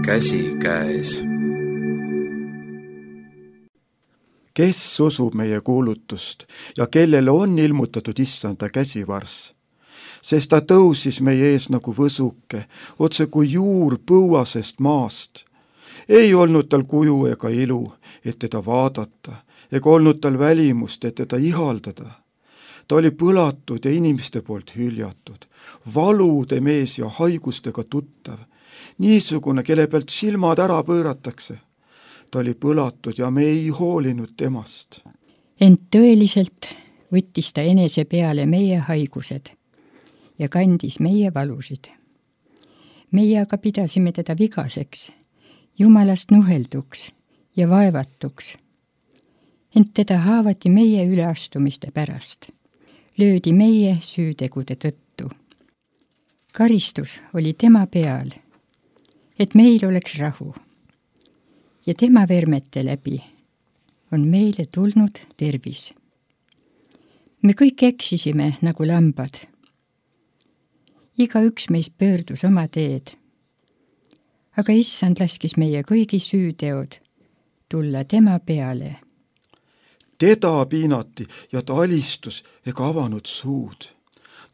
käsi käes. Kes usub meie kuulutust ja kellele on ilmutatud issanda käsivarss? Sest ta tõusis meie ees nagu võsuke, otse kui juur põuasest maast. Ei olnud tal kuju ega ilu, et teda vaadata, ega olnud tal välimust, et teda ihaldada. Ta oli põlatud ja inimeste poolt hüljatud, valude mees ja haigustega tuttav, niisugune, kelle pealt silmad ära pööratakse. Ta oli põlatud ja me ei hoolinud temast. Ent tõeliselt võttis ta enese peale meie haigused ja kandis meie valusid. Meie aga pidasime teda vigaseks, Jumalast nuhelduks ja vaevatuks. Ent teda haavati meie üleastumiste pärast. Löödi meie süütegude tõttu. Karistus oli tema peal, et meil oleks rahu. Ja tema vermete läbi on meile tulnud tervis. Me kõik eksisime nagu lambad. Igaüks meist pöördus oma teed. Aga issand laskis meie kõigi süüteod tulla tema peale. Teda piinati ja ta alistus ega avanud suud.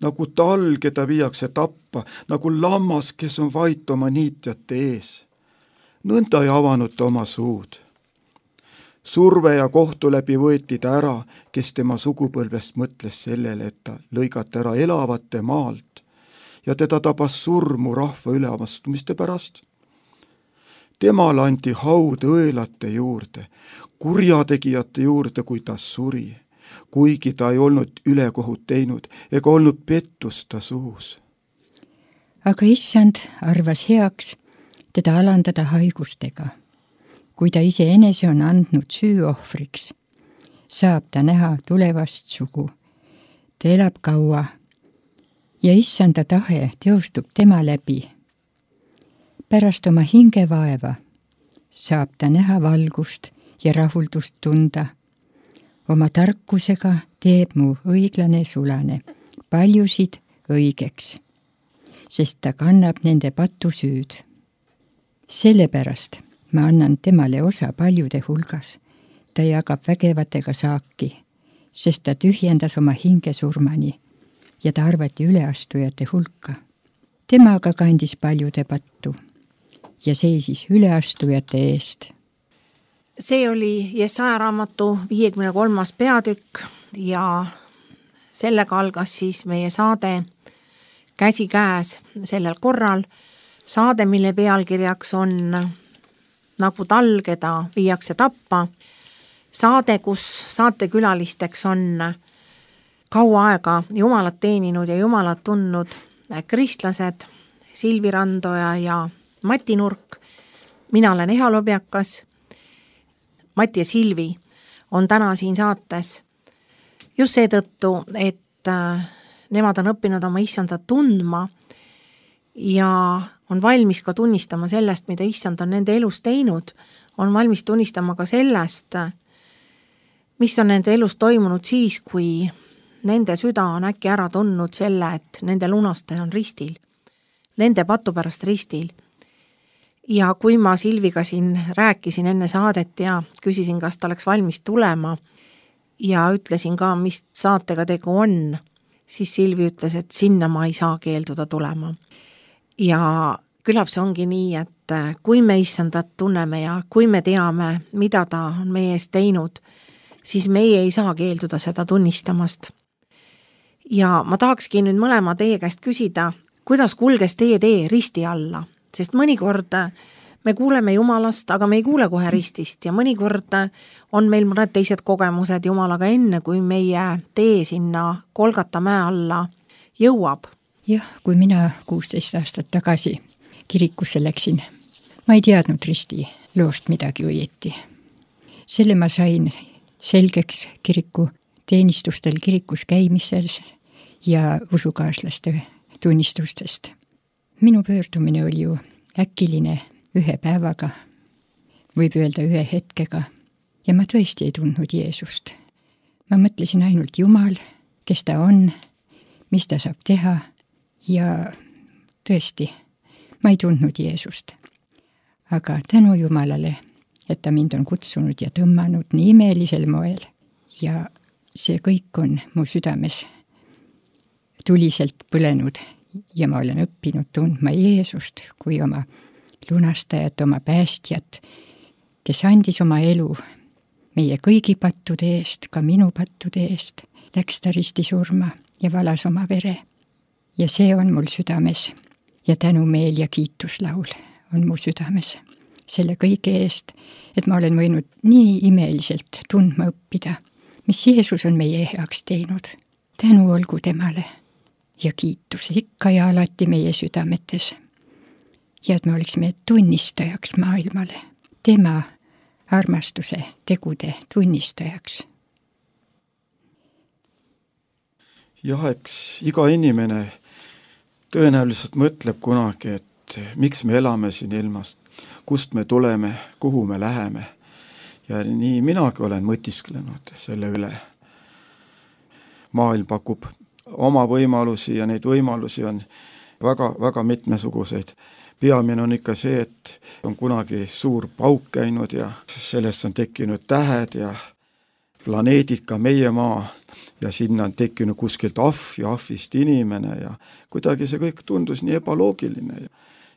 Nagu tal, keda viiakse tappa, nagu lammas, kes on vait oma niitjate ees. Nõnda ei avanud ta oma suud. Surve ja kohtu läbi võeti ta ära, kes tema sugupõlvest mõtles sellele, et ta lõigati ära elavate maalt ja teda tabas surmu rahva üleavastumiste pärast. Temal anti haud õelate juurde, kurjategijate juurde, kui ta suri, kuigi ta ei olnud ülekohut teinud ega olnud pettust ta suus. Aga issand arvas heaks teda alandada haigustega. Kui ta ise enese on andnud süüohvriks, saab ta näha tulevast sugu. Ta elab kaua ja issanda tahe teostub tema läbi. Pärast oma hingevaeva saab ta näha valgust ja rahuldust tunda. Oma tarkusega teeb mu õiglane sulane paljusid õigeks, sest ta kannab nende patusüüd. Sellepärast ma annan temale osa paljude hulgas. Ta jagab vägevatega saaki, sest ta tühjendas oma hinge surmani ja ta arvati üleastujate hulka. Tema aga kandis paljude pattu ja seisis üleastujate eest. See oli Jesaja raamatu 53. peatükk ja sellega algas siis meie saade Käsi käes sellel korral. Saade, mille pealkirjaks on Nagu tal, keda viiakse tappa. Saade, kus saatekülalisteks on kaua aega Jumalat teeninud ja Jumalat tundnud kristlased Silvi Randoja ja Mati Nurk. Mina olen Eha Lobjakas. Mati ja Silvi on täna siin saates just seetõttu, et nemad on õppinud oma issandat tundma ja on valmis ka tunnistama sellest, mida issand on nende elus teinud, on valmis tunnistama ka sellest, mis on nende elus toimunud siis, kui nende süda on äkki ära tundnud selle, et nende lunastaja on ristil, nende patu pärast ristil. Ja kui ma Silviga siin rääkisin enne saadet ja küsisin, kas ta oleks valmis tulema ja ütlesin ka, mis saatega tegu on, siis Silvi ütles, et sinna ma ei saa keelduda tulema. Ja küllap see ongi nii, et kui me issandat tunneme ja kui me teame, mida ta on meie eest teinud, siis meie ei saa keelduda seda tunnistamast. Ja ma tahakski nüüd mõlema teie käest küsida, kuidas kulges teie tee risti alla? Sest mõnikord me kuuleme Jumalast, aga me ei kuule kohe ristist ja mõnikord on meil mõned teised kogemused Jumalaga enne, kui meie tee sinna Golgata mäe alla jõuab. Jah, kui mina 16 aastat tagasi kirikusse läksin, ma ei teadnud risti loost midagi õieti. Selle ma sain selgeks kiriku teenistustel kirikus käimisel ja usukaaslaste tunnistustest. Minu pöördumine oli ju äkiline ühe päevaga, võib öelda ühe hetkega, ja ma tõesti ei tundnud Jeesust. Ma mõtlesin ainult Jumal, kes ta on, mis ta saab teha, ja tõesti, ma ei tundnud Jeesust. aga tänu Jumalale, et ta mind on kutsunud ja tõmmanud nii imelisel moel ja see kõik on mu südames tuliselt põlenud ja ma olen õppinud tundma Jeesust kui oma lunastajat, oma päästjat, kes andis oma elu meie kõigi pattude eest, ka minu pattude eest, läks ta ristisurma ja valas oma vere. Ja see on mul südames ja tänumeel ja kiituslaul on mu südames selle kõige eest, et ma olen võinud nii imeliselt tundma õppida, mis Jeesus on meie heaks teinud. Tänu olgu temale ja kiitus ikka ja alati meie südametes. Ja et me oleksime tunnistajaks maailmale, tema armastuse tegude tunnistajaks. Jah, eks iga inimene tõenäoliselt mõtleb kunagi, et miks me elame siin ilmas, kust me tuleme, kuhu me läheme. Ja nii minagi olen mõtisklenud selle üle. Maailm pakub oma võimalusi ja neid võimalusi on väga mitmesuguseid. Peamine on ikka see, et on kunagi suur pauk käinud ja sellest on tekkinud tähed ja planeedid, ka meie maa, ja sinna on tekkinud kuskilt ahv ja ahvist inimene ja kuidagi see kõik tundus nii ebaloogiline.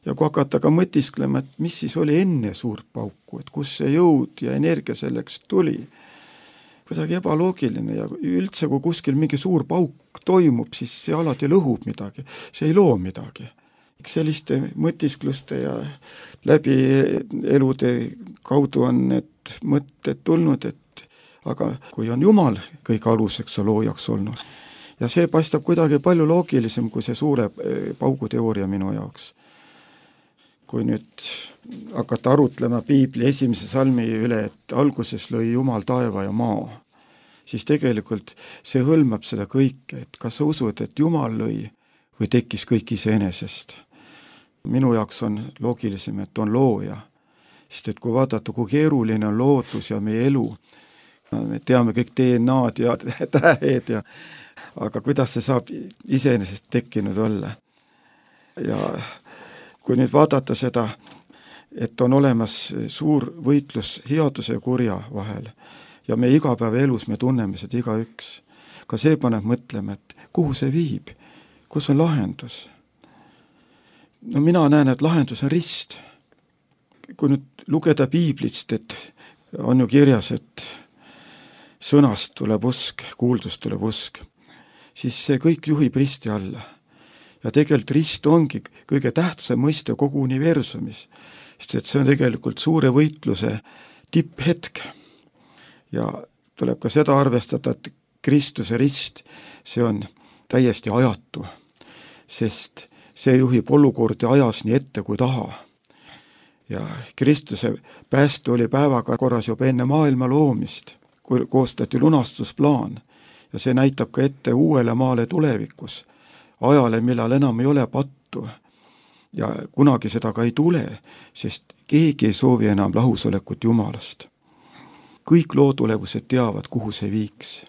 Ja kui hakata ka mõtisklema, et mis siis oli enne suurt pauku, et kus see jõud ja energia selleks tuli, kuidagi ebaloogiline ja üldse, kui kuskil mingi suur pauk toimub, siis see alati lõhub midagi, see ei loo midagi. Selliste mõtiskluste ja läbi elude kaudu on need mõtted tulnud, et aga kui on Jumal kõik aluseks ja loojaks olnud. Ja see paistab kuidagi palju loogilisem kui see suure pauguteooria minu jaoks. Kui nüüd hakata arutlema Piibli esimese salmi üle, et alguses lõi Jumal taeva ja maa, siis tegelikult see hõlmab seda kõike, et kas sa usud, et Jumal lõi või tekkis kõik iseenesest. Minu jaoks on loogilisem, et on looja, sest et kui vaadata, kui keeruline on loodus ja meie elu, me teame kõik DNA-d ja tähed ja aga kuidas see saab iseenesest tekkinud olla. Ja kui nüüd vaadata seda, et on olemas suur võitlus headuse ja kurja vahel ja me igapäevaelus me tunneme seda igaüks, ka see paneb mõtlema, et kuhu see viib, kus on lahendus. No mina näen, et lahendus on rist. Kui nüüd lugeda Piiblist, et on ju kirjas, et sõnast tuleb usk, kuuldust tuleb usk, siis see kõik juhib risti alla. Ja tegelikult rist ongi kõige tähtsam mõiste kogu universumis, sest et see on tegelikult suure võitluse tipphetk. Ja tuleb ka seda arvestada, et Kristuse rist, see on täiesti ajatu, sest see juhib olukordi ajas nii ette kui taha. Ja Kristuse pääste oli päevaga korras juba enne maailma loomist, kui koostati lunastusplaan ja see näitab ka ette uuele maale tulevikus, ajale, millal enam ei ole pattu ja kunagi seda ka ei tule, sest keegi ei soovi enam lahusolekut Jumalast. Kõik loodulevused teavad, kuhu see viiks.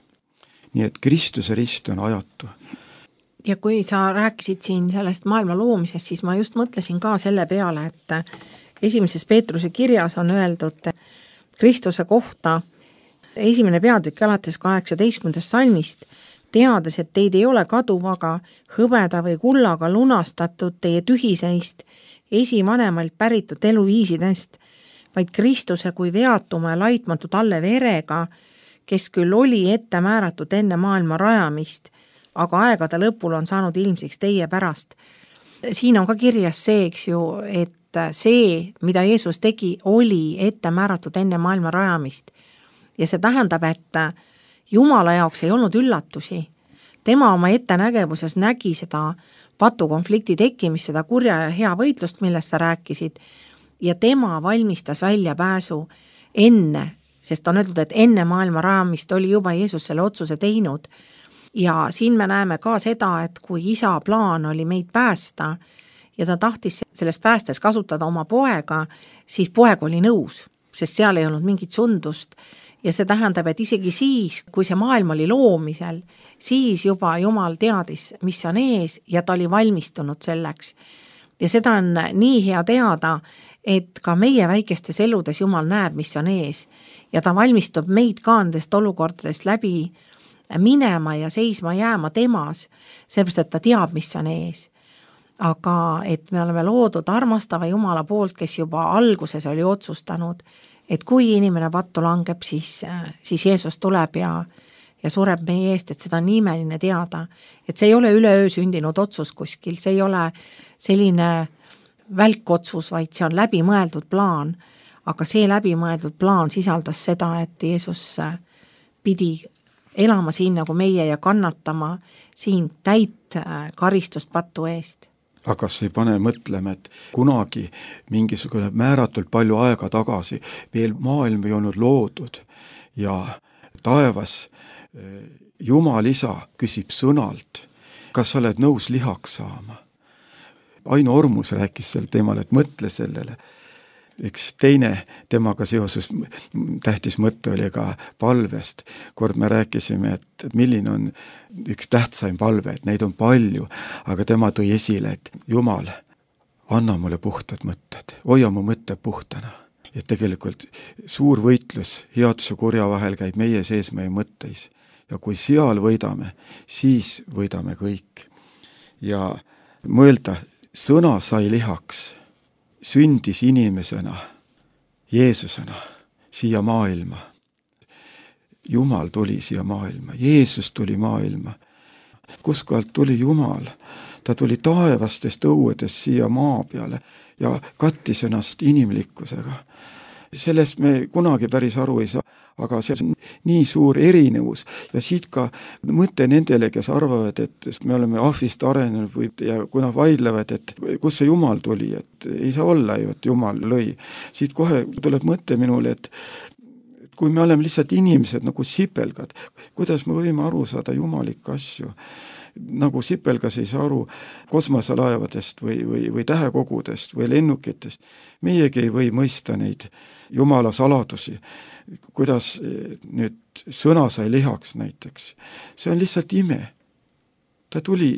Nii et Kristuse rist on ajatu. Ja kui sa rääkisid siin sellest maailma loomisest, siis ma just mõtlesin ka selle peale, et esimeses Peetruse kirjas on öeldud Kristuse kohta 1. peatükk alates 18. salmist, teades, et teid ei ole kaduvaga, hõbeda või kullaga lunastatud teie tühiseist esivanemalt päritud eluviisidest, vaid Kristuse kui veatuma ja laitmatu talle verega, kes küll oli ette määratud enne maailma rajamist, aga aegade lõpul on saanud ilmsiks teie pärast. Siin on ka kirjas see, eks ju, et see, mida Jeesus tegi, oli ette määratud enne maailma rajamist. Ja see tähendab, et Jumala jaoks ei olnud üllatusi. Tema oma ettenägevuses nägi seda patukonflikti tekkimist, seda kurja ja hea võitlust, millest sa rääkisid, ja tema valmistas välja pääsu enne, sest on öeldud, et enne maailma rajamist oli juba Jeesus selle otsuse teinud. Ja siin me näeme ka seda, et kui isa plaan oli meid päästa ja ta tahtis selles päästes kasutada oma poega, siis poeg oli nõus, sest seal ei olnud mingit sundust. Ja see tähendab, et isegi siis, kui see maailm oli loomisel, siis juba Jumal teadis, mis on ees ja ta oli valmistunud selleks. Ja seda on nii hea teada, et ka meie väikestes eludes Jumal näeb, mis on ees ja ta valmistub meid ka nendest olukordadest läbi minema ja seisma jääma temas, seepärast, et ta teab, mis on ees. Aga et me oleme loodud armastava Jumala poolt, kes juba alguses oli otsustanud, et kui inimene pattu langeb, siis Jeesus tuleb ja sureb meie eest, et seda on imeline teada, et see ei ole üleöö sündinud otsus kuskil, see ei ole selline välkotsus, vaid see on läbimõeldud plaan, aga see läbimõeldud plaan sisaldas seda, et Jeesus pidi elama siin nagu meie ja kannatama siin täit karistust pattu eest. Aga see ei pane mõtlema, et kunagi mingisugune määratult palju aega tagasi veel maailm ei olnud loodud ja taevas Jumal isa küsib sõnalt, kas sa oled nõus lihaks saama. Aino Ormus rääkis sel teemal, et mõtle sellele. Üks teine temaga seoses tähtis mõte oli ka palvest. Kord me rääkisime, et milline on üks tähtsaim palve, et neid on palju, aga tema tõi esile, et Jumal, anna mulle puhtad mõtted, hoia mu mõtted puhtana. Et tegelikult suur võitlus headuse kurja vahel käib meie sees meie mõtteis. Ja kui seal võidame, siis võidame kõik. Ja mõelda, sõna sai lihaks, sündis inimesena, Jeesusena, siia maailma. Jumal tuli siia maailma, Jeesus tuli maailma. Kuskohalt tuli Jumal? Ta tuli taevastest õuedest siia maa peale ja kattis ennast inimlikkusega. Sellest me kunagi päris aru ei saa, aga see on nii suur erinevus ja siit ka mõte nendele, kes arvavad, et me oleme ahvist arenenud ja kui nad vaidlevad, et kus see Jumal tuli, et ei saa olla ju, et Jumal lõi. Siit kohe tuleb mõte minule, et kui me oleme lihtsalt inimesed nagu sipelgad, kuidas me võime aru saada jumalikke asju? Nagu sipelgas ei saa aru kosmoselaevadest või tähekogudest või lennukitest. Meiegi ei või mõista neid Jumala saladusi, kuidas nüüd sõna sai lihaks näiteks. See on lihtsalt ime. Ta tuli,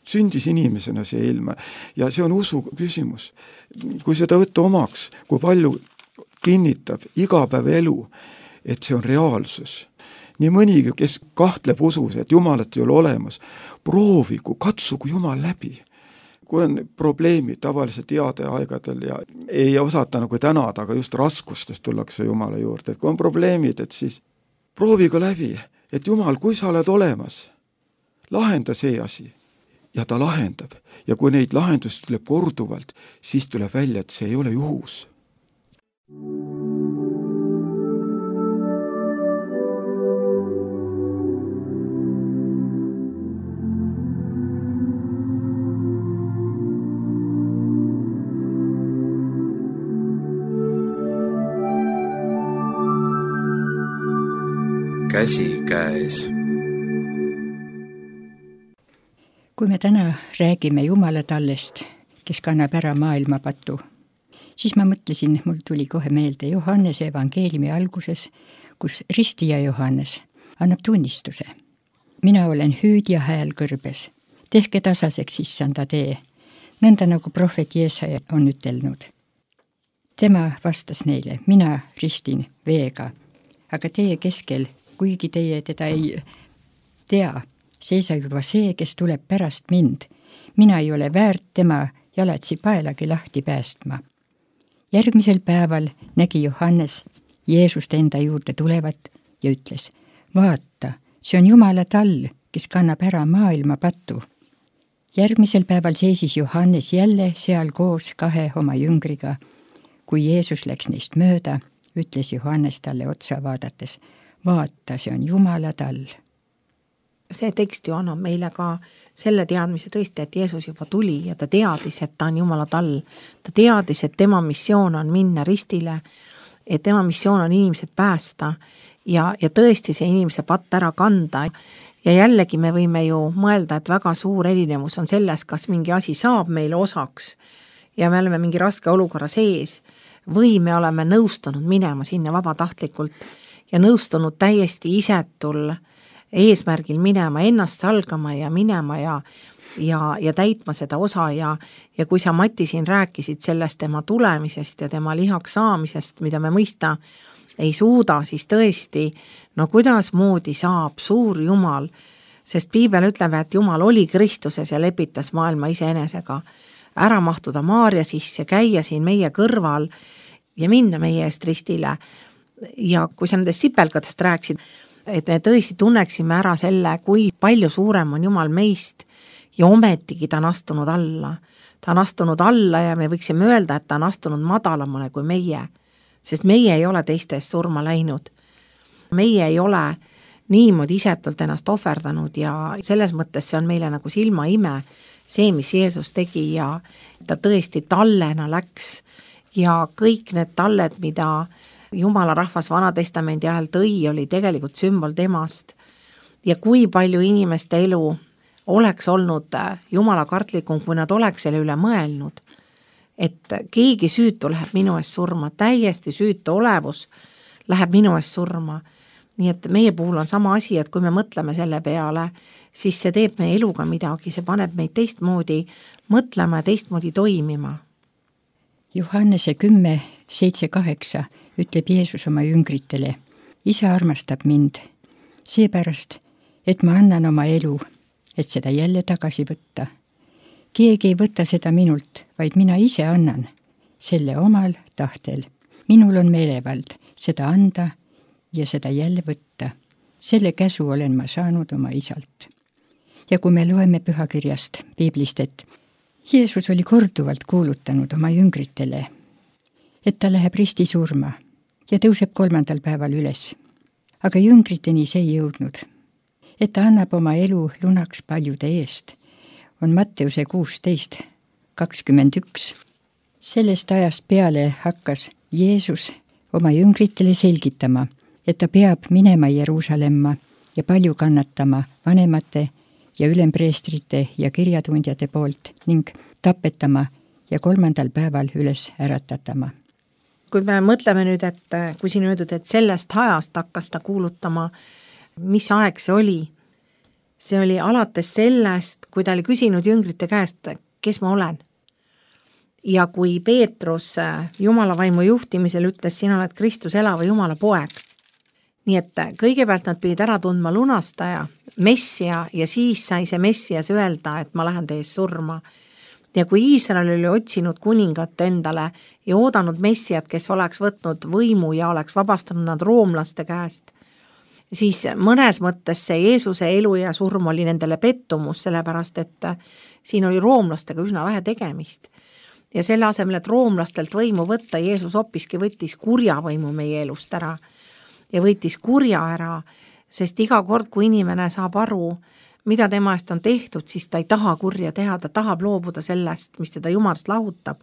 sündis inimesena see ilma ja see on usu küsimus. Kui seda võtta omaks, kui palju kinnitab igapäeva elu, et see on reaalsus. Nii mõnigi, kes kahtleb usus, et Jumalat ei ole olemas, proovigu, katsugu Jumal läbi. Kui on probleemid tavaliselt heade aegadel ja ei osata nagu tänada, aga just raskustest tullakse Jumala juurde, et kui on probleemid, et siis proovigu läbi, et Jumal, kui sa oled olemas, lahenda see asi ja ta lahendab. Ja kui neid lahendusi tuleb korduvalt, siis tuleb välja, et see ei ole juhus. Käsi käes. Kui me täna räägime Jumalatallest, kes kannab ära maailmapatu, siis ma mõtlesin, mul tuli kohe meelde Johannese evangeeliumi alguses, kus ristija Johannes annab tunnistuse. Mina olen hüüdja hääl kõrbes, tehke tasaseks issanda tee, nõnda nagu prohvet Jeesaja on ütelnud. Tema vastas neile, mina ristin veega, aga teie keskel, kuigi teie teda ei tea, seisab juba see, kes tuleb pärast mind. Mina ei ole väärt tema jalatsi paelagi lahti päästma. Järgmisel päeval nägi Johannes Jeesust enda juurde tulevat ja ütles, vaata, see on Jumala tall, kes kannab ära maailma patu. Järgmisel päeval seisis Johannes jälle seal koos 2 oma jüngriga. Kui Jeesus läks neist mööda, ütles Johannes talle otsa vaadates, vaata, see on Jumala tall. See tekst ju annab meile ka selle teadmise tõesti, et Jeesus juba tuli ja ta teadis, et ta on Jumala tall. Ta teadis, et tema missioon on minna ristile, et tema missioon on inimesed päästa ja tõesti see inimese patt ära kanda. Ja jällegi me võime ju mõelda, et väga suur erinevus on selles, kas mingi asi saab meile osaks ja me oleme mingi raske olukorra sees või me oleme nõustunud minema sinna vabatahtlikult ja nõustunud täiesti isetul eesmärgil minema, ennast salgama ja minema ja ja täitma seda osa ja kui sa, Mati, siin rääkisid sellest tema tulemisest ja tema lihaks saamisest, mida me mõista ei suuda, siis tõesti, no kuidas moodi saab suur Jumal, sest piibel ütleb, et Jumal oli Kristuses ja lepitas maailma iseenesega, ära mahtuda Maarja sisse, käia siin meie kõrval ja minna meie eest ristile. Ja kui sa nendest sipelgatest rääkisid, et me tõesti tunneksime ära selle, kui palju suurem on Jumal meist ja ometigi ta on astunud alla. Ta on astunud alla ja me võiksime öelda, et ta on astunud madalamale kui meie, sest meie ei ole teistes surma läinud. Meie ei ole niimoodi isetult ennast ohverdanud ja selles mõttes see on meile nagu silmaime, see, mis Jeesus tegi ja ta tõesti tallena läks ja kõik need talled, mida Jumala rahvas Vanatestamendi ajal tõi, oli tegelikult sümbol temast. Ja kui palju inimeste elu oleks olnud Jumala kartlikum, kui nad oleks selle üle mõelnud, et keegi süütu läheb minu eest surma, täiesti süütu olevus läheb minu eest surma. Nii et meie puhul on sama asi, et kui me mõtleme selle peale, siis see teeb meie eluga midagi, see paneb meid teistmoodi mõtlema ja teistmoodi toimima. Johannese 10:7-8 ütleb Jeesus oma jüngritele, Isa armastab mind, seepärast, et ma annan oma elu, et seda jälle tagasi võtta. Keegi ei võta seda minult, vaid mina ise annan, selle omal tahtel. Minul on meelevald seda anda ja seda jälle võtta. Selle käsu olen ma saanud oma isalt. Ja kui me loeme pühakirjast, piiblist, et Jeesus oli korduvalt kuulutanud oma jüngritele, et ta läheb risti surma ja tõuseb 3. päeval üles. Aga jüngriteni see ei jõudnud. Et ta annab oma elu lunaks paljude eest, on Matteuse 16:21. Sellest ajast peale hakkas Jeesus oma jüngritele selgitama, et ta peab minema Jeruusalemma ja palju kannatama vanemate ja ülempreestrite ja kirjatundjate poolt ning tapetama ja 3. päeval üles äratatama. Kui me mõtleme nüüd, et kui siin öeldud, et sellest ajast hakkas ta kuulutama, mis aeg see oli? See oli alates sellest, kui ta oli küsinud jüngrite käest, kes ma olen. Ja kui Peetrus Jumala vaimu juhtimisel ütles, sina oled Kristus elava Jumala poeg. Nii et kõigepealt nad pidid ära tundma lunastaja, messia ja siis sai see messias öelda, et ma lähen teie surma. Ja kui Iisrael oli otsinud kuningat endale ja oodanud messiat, kes oleks võtnud võimu ja oleks vabastanud nad roomlaste käest, siis mõnes mõttes see Jeesuse elu ja surm oli nendele pettumus, sellepärast et siin oli roomlastega üsna vähe tegemist. Ja selle asemel, et roomlastelt võimu võtta, Jeesus hoppiski võttis kurja võimu meie elust ära ja võttis kurja ära, sest iga kord, kui inimene saab aru, mida tema eest on tehtud, siis ta ei taha kurja teha, ta tahab loobuda sellest, mis teda Jumalast lahutab.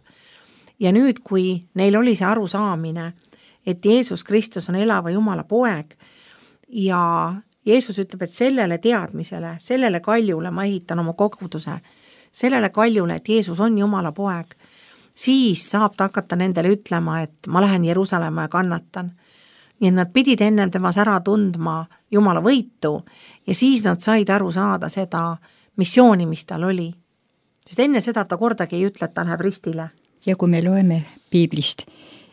Ja nüüd, kui neil oli see arusaamine, et Jeesus Kristus on elava Jumala poeg ja Jeesus ütleb, et sellele teadmisele, sellele kaljule ma ehitan oma koguduse, sellele kaljule, et Jeesus on Jumala poeg, siis saab ta hakata nendele ütlema, et ma lähen Jeruusalemma ja kannatan. Nii et nad pidid ennem temas ära tundma Jumala võitu ja siis nad said aru saada seda missiooni, mis tal oli. Sest enne seda ta kordagi ei ütle, et ta läheb ristile. Ja kui me loeme piiblist,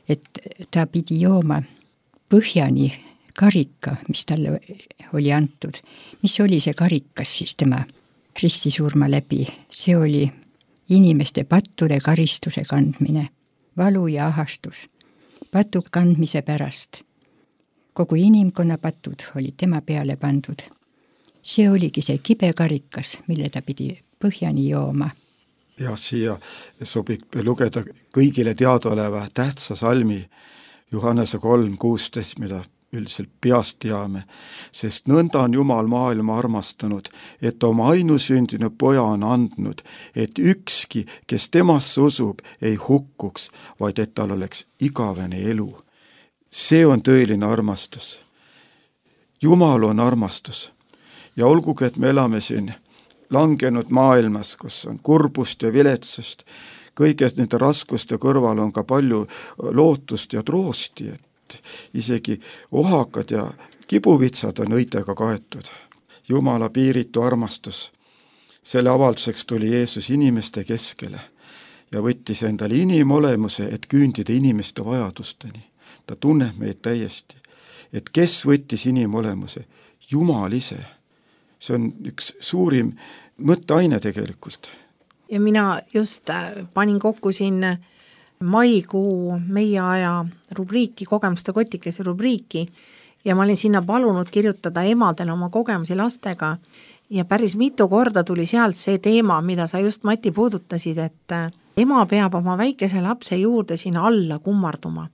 et ta pidi jooma põhjani karika, mis talle oli antud. Mis oli see karikas siis tema ristisurma läbi? See oli inimeste pattude karistuse kandmine, valu ja ahastus, patud kandmise pärast. Kogu inimkonna patud olid tema peale pandud. See oligi see kibe karikas, mille ta pidi põhjani jooma. Ja siia sobib lugeda kõigile teadaoleva tähtsa salmi Johannese 3:16, mida üldiselt peast teame, sest nõnda on Jumal maailma armastanud, et oma ainusündinu poja on andnud, et ükski, kes temasse usub, ei hukkuks, vaid et tal oleks igavene elu. See on tõeline armastus. Jumal on armastus ja olgugi, et me elame siin langenud maailmas, kus on kurbust ja viletsust, kõige nende raskuste kõrval on ka palju lootust ja troosti, et isegi ohakad ja kibuvitsad on õitega kaetud. Jumala piiritu armastus Selle avalduseks tuli Jeesus inimeste keskele ja võttis endale inimolemuse, et küündida inimeste vajadusteni. Ta tunneb meid täiesti, et kes võttis inimolemuse? Jumal ise. See on üks suurim mõtteaine tegelikult. Ja mina just panin kokku siin maikuu meie aja rubriiki, kogemuste kotikese rubriiki, ja ma olin sinna palunud kirjutada emadele oma kogemusi lastega ja päris mitu korda tuli sealt see teema, mida sa just, Mati, puudutasid, et ema peab oma väikese lapse juurde sinna alla kummarduma.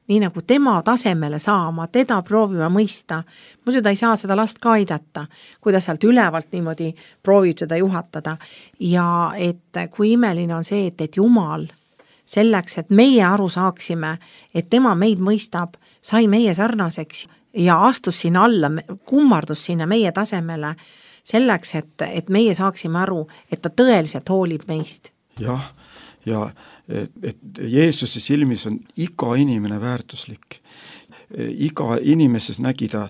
Nii nagu tema tasemele saama, teda proovima mõista. Muidu ta ei saa seda last ka aidata, kui ta sealt ülevalt niimoodi proovib seda juhatada. Ja et kui imeline on see, et Jumal selleks, et meie aru saaksime, et tema meid mõistab, sai meie sarnaseks ja astus sinna alla, kummardus sinna meie tasemele selleks, et meie saaksime aru, et ta tõeliselt hoolib meist. Jah, ja et Jeesuse silmis on iga inimene väärtuslik. Iga inimeses nägi ta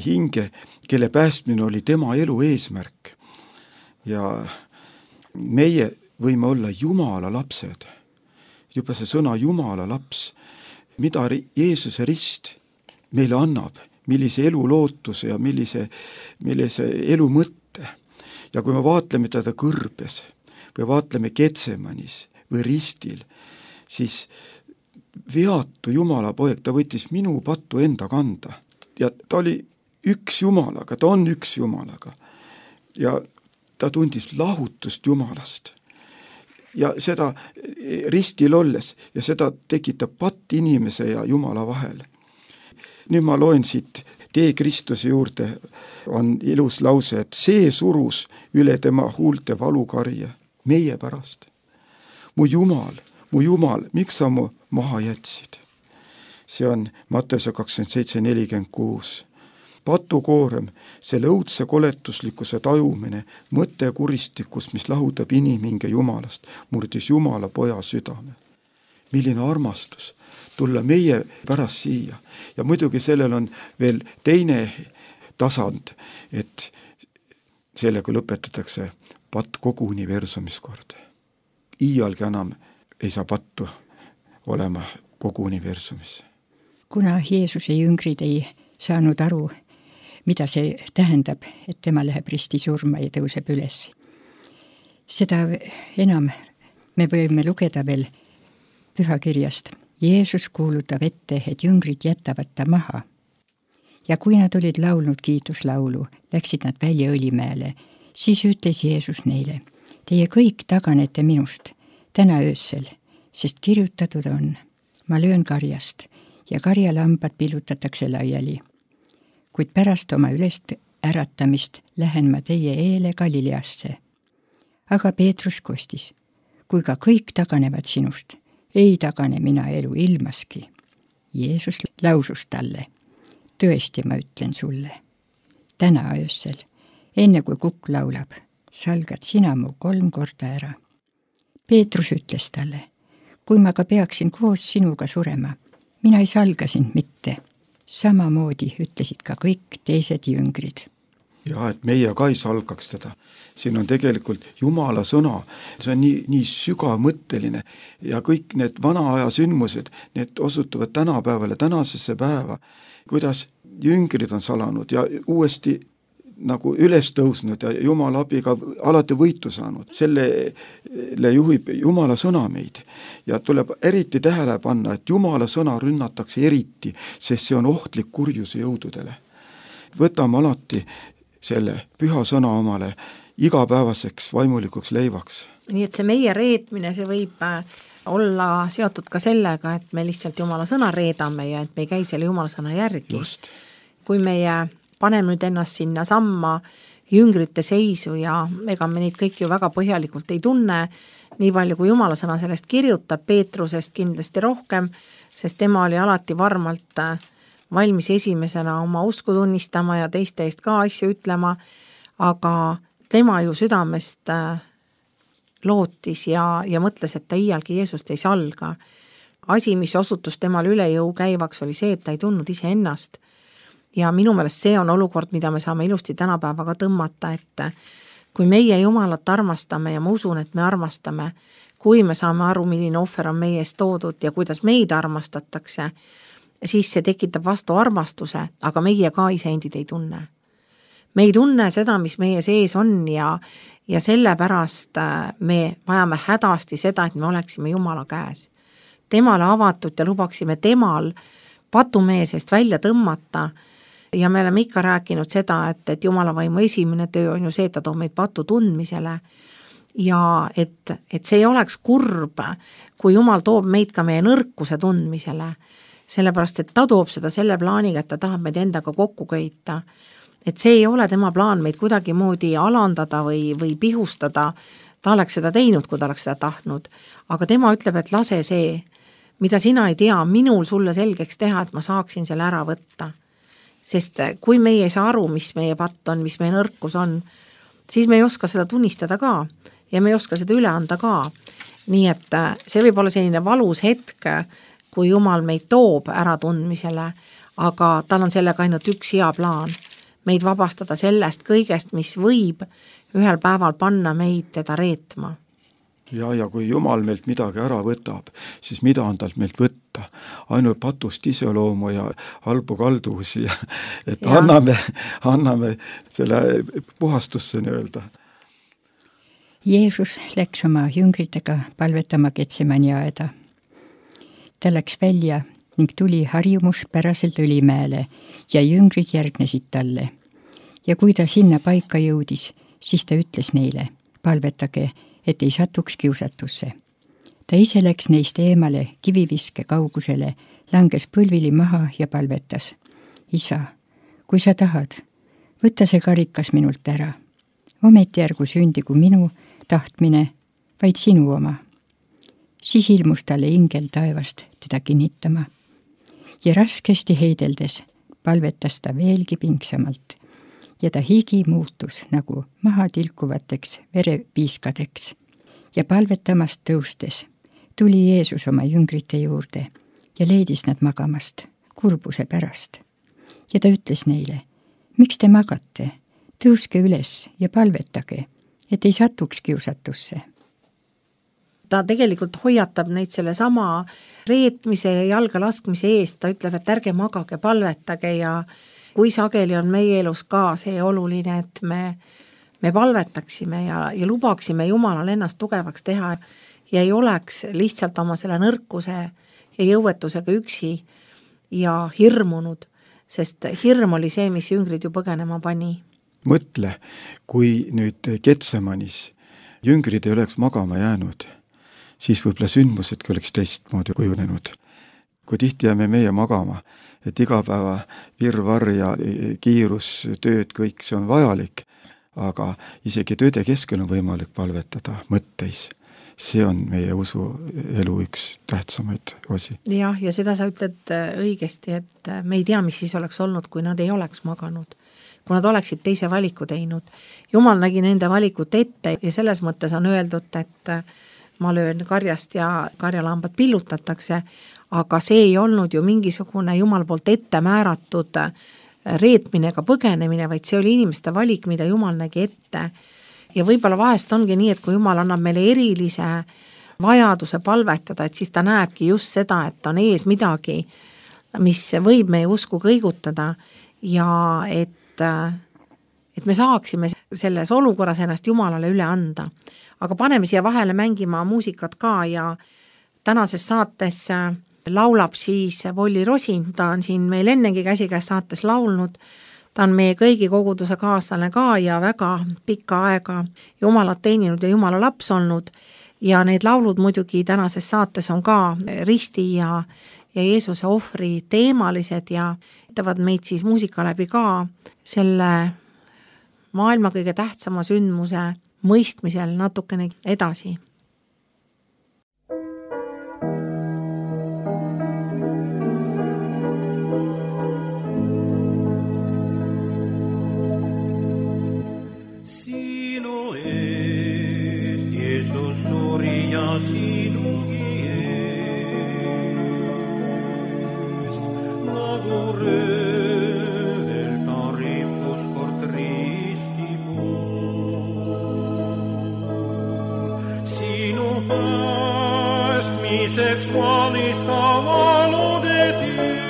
hinge, kelle päästmine oli tema elu eesmärk. Ja meie võime olla Jumala lapsed. Juba see sõna Jumala laps, mida Jeesuse rist meile annab, millise elu lootuse ja millise elu mõtte. Ja kui me vaatleme teda kõrbes või vaatleme Getsemanis või ristil, siis veatu Jumala poeg, ta võttis minu pattu enda kanda. Ja ta oli üks Jumalaga, ta on üks Jumalaga. Ja ta tundis lahutust Jumalast. Ja seda ristil olles, ja seda tekitab patt inimese ja Jumala vahel. Nüüd ma loen siit Tee Kristuse juurde, on ilus lause, et see surus üle tema huulte valukarje meie pärast. Mu Jumal, miks sa mu maha jätsid? See on Matteuse 27:46. Patukoorem, selle õudse koletuslikkuse tajumine, mõte kuristikus, mis lahutab inimhinge Jumalast, murdis Jumala poja südame. Milline armastus tulla meie pärast siia. Ja muidugi sellel on veel teine tasand, et sellega lõpetatakse patt kogu universumis kord. Iialgi enam ei saa pattu olema kogu universumis. Kuna Jeesuse jüngrid ei saanud aru, mida see tähendab, et tema läheb risti surma ja tõuseb üles. Seda enam me võime lugeda veel pühakirjast. Jeesus kuulutab ette, et jüngrid jätavad ta maha. Ja kui nad olid laulnud kiituslaulu, läksid nad välja Õlimäele, siis ütles Jeesus neile, teie kõik taganete minust täna öösel, sest kirjutatud on, ma löön karjast ja karjalambad pillutatakse laiali. Kuid pärast oma ülest äratamist lähen ma teie eele Galileasse. Aga Peetrus kostis, kui ka kõik taganevad sinust, ei tagane mina elu ilmaski. Jeesus lausus talle, tõesti ma ütlen sulle, täna öösel, enne kui kukk laulab, salgad sina mu 3 korda ära. Peetrus ütles talle, kui ma ka peaksin koos sinuga surema, mina ei salga sind mitte. Samamoodi ütlesid ka kõik teised jüngrid. Ja et meie ka ei salgaks teda. Siin on tegelikult Jumala sõna, see on nii sügavmõtteline ja kõik need vana aja sündmused, need osutuvad tänapäevale, tänasesse päeva, kuidas jüngrid on salanud ja uuesti nagu üles tõusnud ja Jumala abiga alati võitu saanud. Sellele juhib Jumala sõna meid ja tuleb eriti tähele panna, et Jumala sõna rünnatakse eriti, sest see on ohtlik kurjuse jõududele. Võtame alati selle püha sõna omale igapäevaseks vaimulikuks leivaks. Nii et see meie reetmine, see võib olla seotud ka sellega, et me lihtsalt Jumala sõna reedame ja et me ei käi selle Jumala sõna järgi. Just. Kui meie paneme nüüd ennast sinna samma jüngrite seisu ja ega me neid kõik ju väga põhjalikult ei tunne, nii palju kui Jumala sõna sellest kirjutab, Peetrusest kindlasti rohkem, sest tema oli alati varmalt valmis esimesena oma usku tunnistama ja teiste eest ka asju ütlema, aga tema ju südamest lootis ja mõtles, et ta iialgi Jeesust ei salga. Asi, mis osutus temal üle jõu käivaks, oli see, et ta ei tundnud ise ennast. Ja minu meelest see on olukord, mida me saame ilusti tänapäevaga tõmmata, et kui meie Jumalat armastame ja ma usun, et me armastame, kui me saame aru, milline ohver on meie eest toodud ja kuidas meid armastatakse, siis see tekitab vastu armastuse, aga meie ka iseendid ei tunne. Me ei tunne seda, mis meie sees on ja sellepärast me vajame hädasti seda, et me oleksime Jumala käes. Temale avatud ja lubaksime temal patumehe seest välja tõmmata ja me oleme ikka rääkinud seda, et Jumala vaimu esimene töö on ju see, et ta toob meid patu tundmisele ja et see ei oleks kurb, kui Jumal toob meid ka meie nõrkuse tundmisele, sellepärast et ta toob seda selle plaaniga, et ta tahab meid endaga kokku köita. Et see ei ole tema plaan meid kuidagi moodi alandada või pihustada, ta oleks seda teinud, kui ta oleks seda tahtnud, aga tema ütleb, et lase see, mida sina ei tea, minul sulle selgeks teha, et ma saaksin selle ära võtta. Sest kui meie ei saa aru, mis meie patt on, mis meie nõrkus on, siis me ei oska seda tunnistada ka ja me ei oska seda üle anda ka. Nii et see võib olla selline valus hetk, kui Jumal meid toob ära tundmisele, aga tal on sellega ainult üks hea plaan. Meid vabastada sellest kõigest, mis võib ühel päeval panna meid teda reetma. Ja kui Jumal meilt midagi ära võtab, siis mida on talt meilt võtta? Ainult patust iseloomu ja halbu kalduvusi, et anname selle puhastusse nii-öelda. Jeesus läks oma jüngritega palvetama Getsemani aeda. Ta läks välja ning tuli harjumuspäraselt Õlimäele ja jüngrid järgnesid talle. Ja kui ta sinna paika jõudis, siis ta ütles neile, palvetage, et ei satuks kiusatusse. Ta ise läks neist eemale kiviviske kaugusele, langes põlvili maha ja palvetas. Isa, kui sa tahad, võta see karikas minult ära. Ometi ärgu sündigu minu tahtmine, vaid sinu oma. Siis ilmus talle ingel taevast teda kinnitama. Ja raskesti heideldes palvetas ta veelgi pingsamalt ja ta higi muutus nagu maha tilkuvateks verepiiskadeks. Ja palvetamast tõustes tuli Jeesus oma jüngrite juurde ja leidis nad magamast kurbuse pärast. Ja ta ütles neile, miks te magate, tõuske üles ja palvetage, et ei satuks kiusatusse. Ta tegelikult hoiatab neid selle sama reetmise ja jalga laskmise eest, ta ütleb, et ärge magage, palvetage ja kui sageli on meie elus ka see oluline, et me palvetaksime ja lubaksime Jumalal ennast tugevaks teha ja ei oleks lihtsalt oma selle nõrkuse ja jõuetusega üksi ja hirmunud, sest hirm oli see, mis jüngrid ju põgenema pani. Mõtle, kui nüüd Getsemanis jüngrid ei oleks magama jäänud, siis võib-olla sündmusedki oleks teistmoodi kujunenud. Kui tihti jääme meie magama, et igapäeva virvarr ja kiirus, tööd, kõik see on vajalik, aga isegi tööde keskel on võimalik palvetada mõtteis. See on meie usuelu üks tähtsamaid osi. Ja seda sa ütled õigesti, et me ei tea, mis siis oleks olnud, kui nad ei oleks maganud. Kui nad oleksid teise valiku teinud. Jumal nägi nende valikut ette ja selles mõttes on öeldud, et ma löön karjast ja karjalambad pillutatakse, aga see ei olnud ju mingisugune Jumal poolt ette määratud reetmine ega põgenemine, vaid see oli inimeste valik, mida Jumal nägi ette. Ja võib-olla vahest ongi nii, et kui Jumal annab meile erilise vajaduse palvetada, et siis ta näebki just seda, et on ees midagi, mis võib meie usku kõigutada ja et me saaksime selles olukorras ennast Jumalale üle anda. Aga paneme siia vahele mängima muusikat ka ja tänases saates laulab siis Volli Rosin, ta on siin meil ennegi käsikäes saates laulnud, ta on meie kõigi koguduse kaaslane ka ja väga pikka aega Jumalat teeninud ja Jumala laps olnud ja need laulud muidugi tänases saates on ka risti ja Jeesuse ohvri teemalised ja aitavad meid siis muusika läbi ka selle maailma kõige tähtsama sündmuse mõistmisel natukene edasi. Sinu eest, Jeesus suri ja sinugi eest, nagu röövel ta rippus kord risti pool. päästmiseks valista valude tee.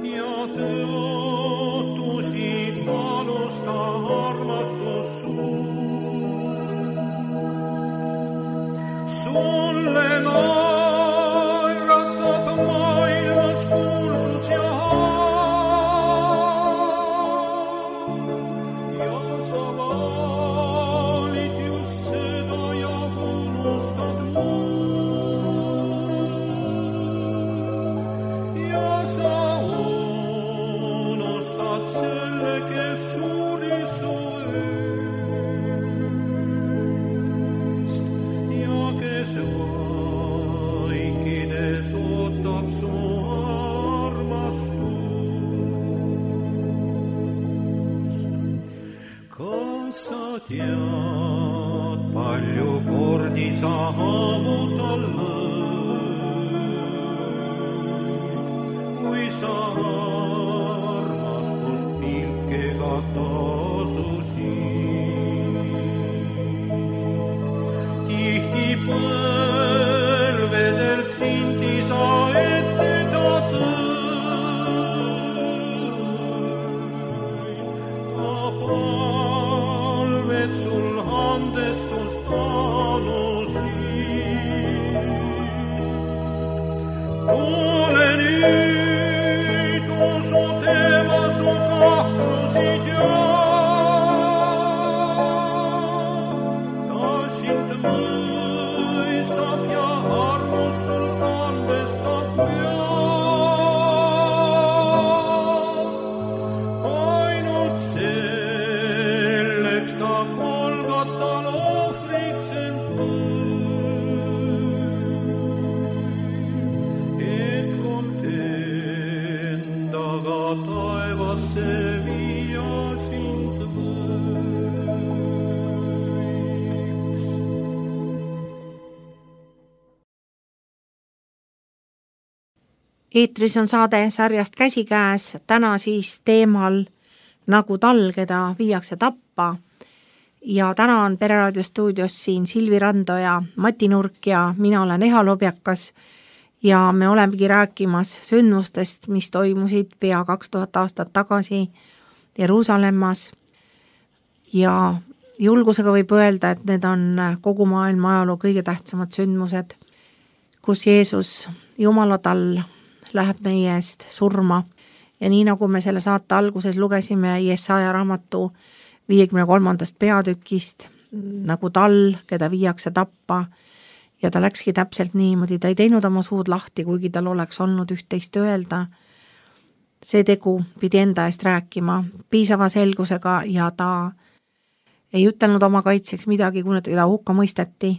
Ja tõotusid valusta armastus suur. Sulle naeratab maailmas kuulsus ja sa valid just seda ja unustad muud. Ja sa unustad selle, kes suri su eest ja kes vaikides ootab su tead, palju kordi sa haavutal kui sa armastust pilkega tasusid. Tihti põlvedelt sindi sa ette ta tõid, sul andestust palusid. Ole nüüd, usu teema su kahtlusid ja ta sind mõistab ja armus sul andestab peab. Ainult selleks ta Golgotal ohvriks end tõi, et kord endaga taevasse viia sind võiks. Eetris on saade sarjast Käsikäes, täna siis teemal Nagu tal, keda viiakse tappa. Ja täna on Pereraadio stuudios siin Silvi Randoja, Mati Nurk ja mina olen Eha Lobjakas ja me olemegi rääkimas sündmustest, mis toimusid pea 2000 aastat tagasi Jeruusalemmas. Ja julgusega võib öelda, et need on kogu maailma ajaloo kõige tähtsamad sündmused, kus Jeesus Jumalatall läheb meie eest surma. Ja nii nagu me selle saate alguses lugesime Jesaja raamatu 53. peatükist, nagu tal, keda viiakse tappa, ja ta läkski täpselt niimoodi, ta ei teinud oma suud lahti, kuigi tal oleks olnud üht-teist öelda. See tegu pidi enda eest rääkima piisava selgusega ja ta ei ütelnud oma kaitseks midagi, kui ta hukka mõisteti,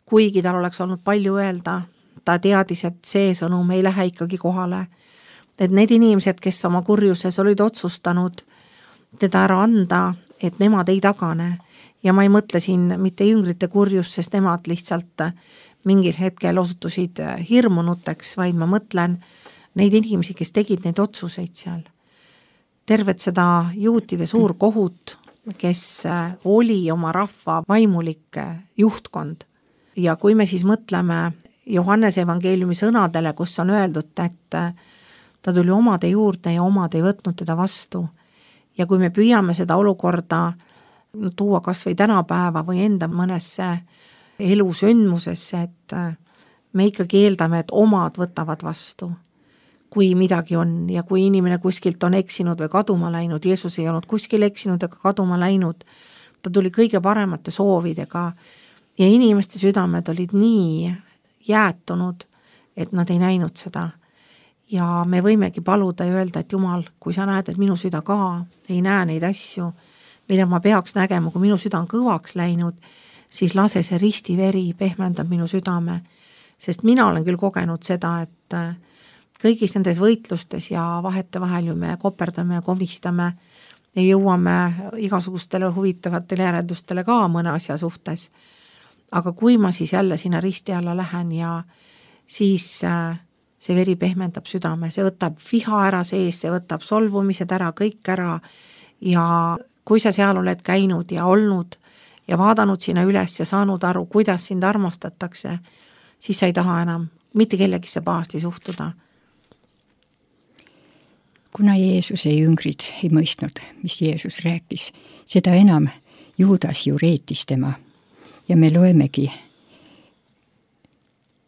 kuigi tal oleks olnud palju öelda. Ta teadis, et see sõnum ei lähe ikkagi kohale. Et need inimesed, kes oma kurjuses olid otsustanud teda ära anda, et nemad ei tagane. Ja ma ei mõtle siin mitte jüngrite kurjus, sest nemad lihtsalt mingil hetkel osutusid hirmunuteks, vaid ma mõtlen neid inimesi, kes tegid neid otsuseid seal. Tervet seda juutide suur kohut, kes oli oma rahva vaimulik juhtkond. Ja kui me siis mõtleme Johannese evangeeliumi sõnadele, kus on öeldud, et ta tuli omade juurde ja omad ei võtnud teda vastu. Ja kui me püüame seda olukorda tuua kas või tänapäeva või enda mõnesse elusündmusesse, et me ikkagi eeldame, et omad võtavad vastu, kui midagi on. Ja kui inimene kuskilt on eksinud või kaduma läinud, Jeesus ei olnud kuskil eksinud ega kaduma läinud, ta tuli kõige paremate soovidega ja inimeste südamed olid nii jäätunud, et nad ei näinud seda. Ja me võimegi paluda ja öelda, et Jumal, kui sa näed, et minu süda ka ei näe neid asju, mida ma peaks nägema, kui minu süda on kõvaks läinud, siis lase see ristiveri pehmendab minu südame. Sest mina olen küll kogenud seda, et kõigis nendes võitlustes ja vahetevahel ju me koperdame ja komistame ja jõuame igasugustele huvitavatele järeldustele ka mõne asja suhtes. Aga kui ma siis jälle sinna risti alla lähen ja siis see veri pehmendab südame, see võtab viha ära sees, see võtab solvumised ära, kõik ära ja kui sa seal oled käinud ja olnud ja vaadanud sinna üles ja saanud aru, kuidas sind armastatakse, siis sa ei taha enam mitte kellegisse pahasti suhtuda. Kuna Jeesuse jüngrid ei mõistnud, mis Jeesus rääkis, seda enam Juudas ju reetis tema. Ja me loemegi,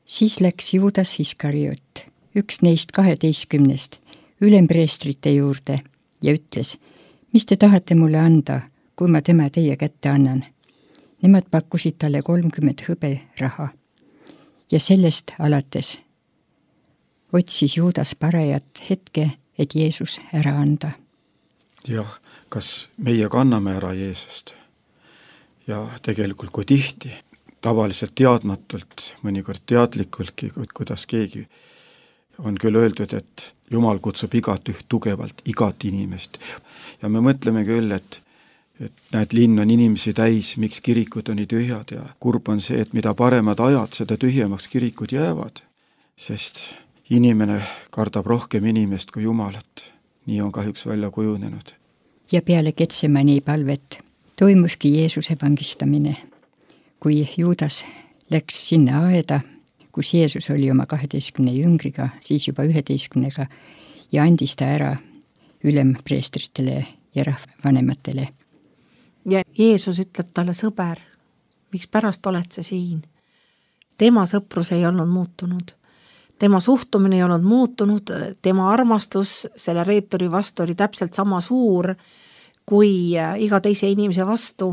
siis läks Juudas Iskariot, üks neist 12 ülempreestrite juurde ja ütles, mis te tahate mulle anda, kui ma tema teie kätte annan. Nemad pakkusid talle 30 hõberaha ja sellest alates otsis Juudas parajat hetke, et Jeesus ära anda. Jah, kas meie kanname ära Jeesust? Ja tegelikult kui tihti, tavaliselt teadmatult, mõnikord teadlikultki, kuidas keegi on küll öeldud, et Jumal kutsub igat üht tugevalt, igat inimest. Ja me mõtleme küll, et näed, linn on inimesi täis, miks kirikud on nii tühjad ja kurb on see, et mida paremad ajad, seda tühjemaks kirikud jäävad, sest inimene kardab rohkem inimest kui Jumalat. Nii on kahjuks välja kujunenud. Ja peale Getsemani palvet toimuski Jeesuse vangistamine. Kui Juudas läks sinna aeda, kus Jeesus oli oma 12 jüngriga, siis juba 11 ja andis ta ära ülempreestritele ja rahvavanematele. Ja Jeesus ütleb talle, sõber, miks pärast oled sa siin? Tema sõprus ei olnud muutunud. Tema suhtumine ei olnud muutunud, tema armastus selle reetori vastu oli täpselt sama suur kui iga teise inimese vastu.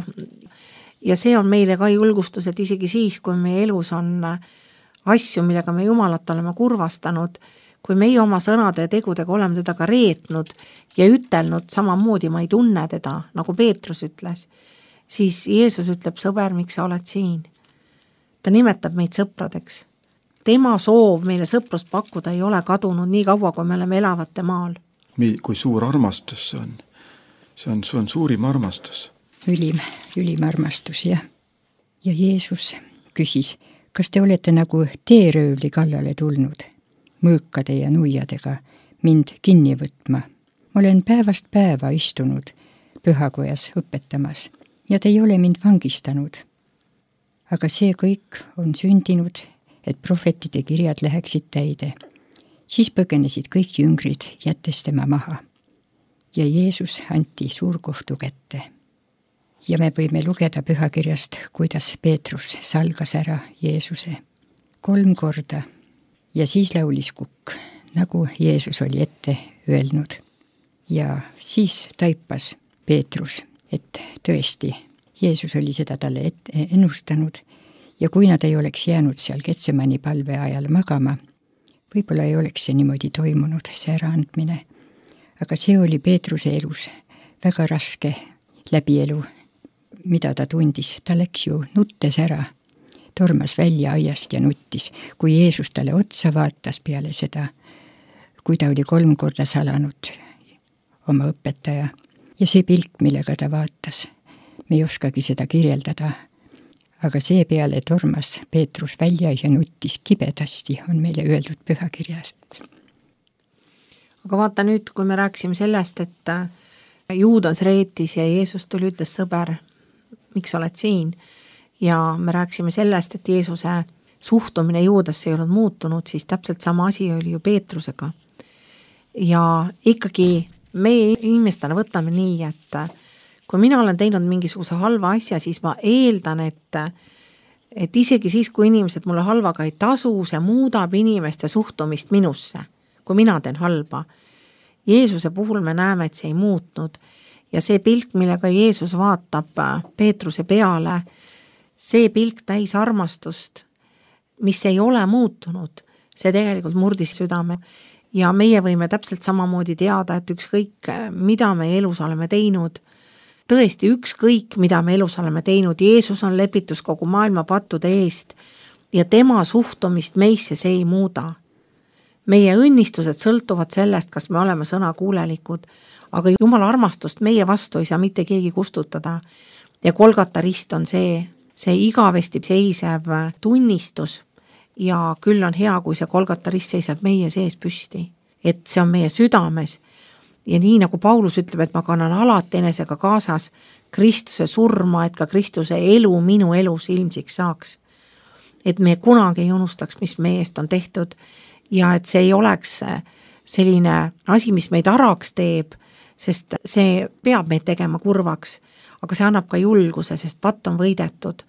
Ja see on meile ka julgustus, et isegi siis, kui meie elus on asju, millega me Jumalat oleme kurvastanud, kui meie oma sõnade ja tegudega oleme teda ka reetnud ja ütelnud samamoodi, ma ei tunne teda, nagu Peetrus ütles, siis Jeesus ütleb, sõber, miks sa oled siin? Ta nimetab meid sõpradeks. Tema soov meile sõprust pakkuda ei ole kadunud nii kaua, kui me oleme elavate maal. Kui suur armastus see on? See on suurim armastus. Ülim armastus, jah. Ja Jeesus küsis, kas te olete nagu teeröövli kallale tulnud, mõõkade ja nuiadega mind kinni võtma? Ma olen päevast päeva istunud pühakojas õpetamas ja te ei ole mind vangistanud. Aga see kõik on sündinud, et prohvetide kirjad läheksid täide. Siis põgenesid kõik jüngrid, jättes tema maha. Ja Jeesus anti suurkohtu kätte. Ja me võime lugeda pühakirjast, kuidas Peetrus salgas ära Jeesuse 3 korda. Ja siis laulis kukk, nagu Jeesus oli ette öelnud. Ja siis taipas Peetrus, et tõesti, Jeesus oli seda talle ennustanud. Ja kui nad ei oleks jäänud seal Getsemani palve ajal magama, võib-olla ei oleks see niimoodi toimunud, see äraandmine. Aga see oli Peetruse elus väga raske läbielu, mida ta tundis. Ta läks ju nuttes ära, tormas välja aiast ja nuttis, kui Jeesus talle otsa vaatas peale seda, kui ta oli 3 korda salanud oma õpetaja. Ja see pilk, millega ta vaatas, me ei oskagi seda kirjeldada. Aga see peale tormas Peetrus välja ja nuttis kibedasti, on meile öeldud pühakirjast. Aga vaata nüüd, kui me rääksime sellest, et Juudas reetis ja Jeesus tuli ütles, sõber, miks oled siin? Ja me rääksime sellest, et Jeesuse suhtumine Juudasse ei olnud muutunud, siis täpselt sama asi oli ju Peetrusega. Ja ikkagi meie inimestena võtame nii, et kui mina olen teinud mingisuguse halva asja, siis ma eeldan, et isegi siis, kui inimesed mulle halvaga ei tasu, see muudab inimeste suhtumist minusse, kui mina teen halba. Jeesuse puhul me näeme, et see ei muutnud. Ja see pilk, millega Jeesus vaatab Peetruse peale, see pilk täis armastust, mis ei ole muutunud, see tegelikult murdis südame. Ja meie võime täpselt samamoodi teada, et ükskõik, mida me elus oleme teinud, tõesti ükskõik, mida me elus oleme teinud, Jeesus on lepitus kogu maailma pattude eest ja tema suhtumist meisse see ei muuda. Meie õnnistused sõltuvad sellest, kas me oleme sõnakuulelikud, aga Jumala armastust meie vastu ei saa mitte keegi kustutada. Ja Golgata rist on see igavesti seisev tunnistus ja küll on hea, kui see Golgata rist seisab meie sees püsti, et see on meie südames ja nii nagu Paulus ütleb, et ma kannan alati enesega kaasas Kristuse surma, et ka Kristuse elu minu elus ilmsiks saaks. Et me kunagi ei unustaks, mis meie eest on tehtud ja et see ei oleks selline asi, mis meid araks teeb, sest see peab meid tegema kurvaks, aga see annab ka julguse, sest patt on võidetud.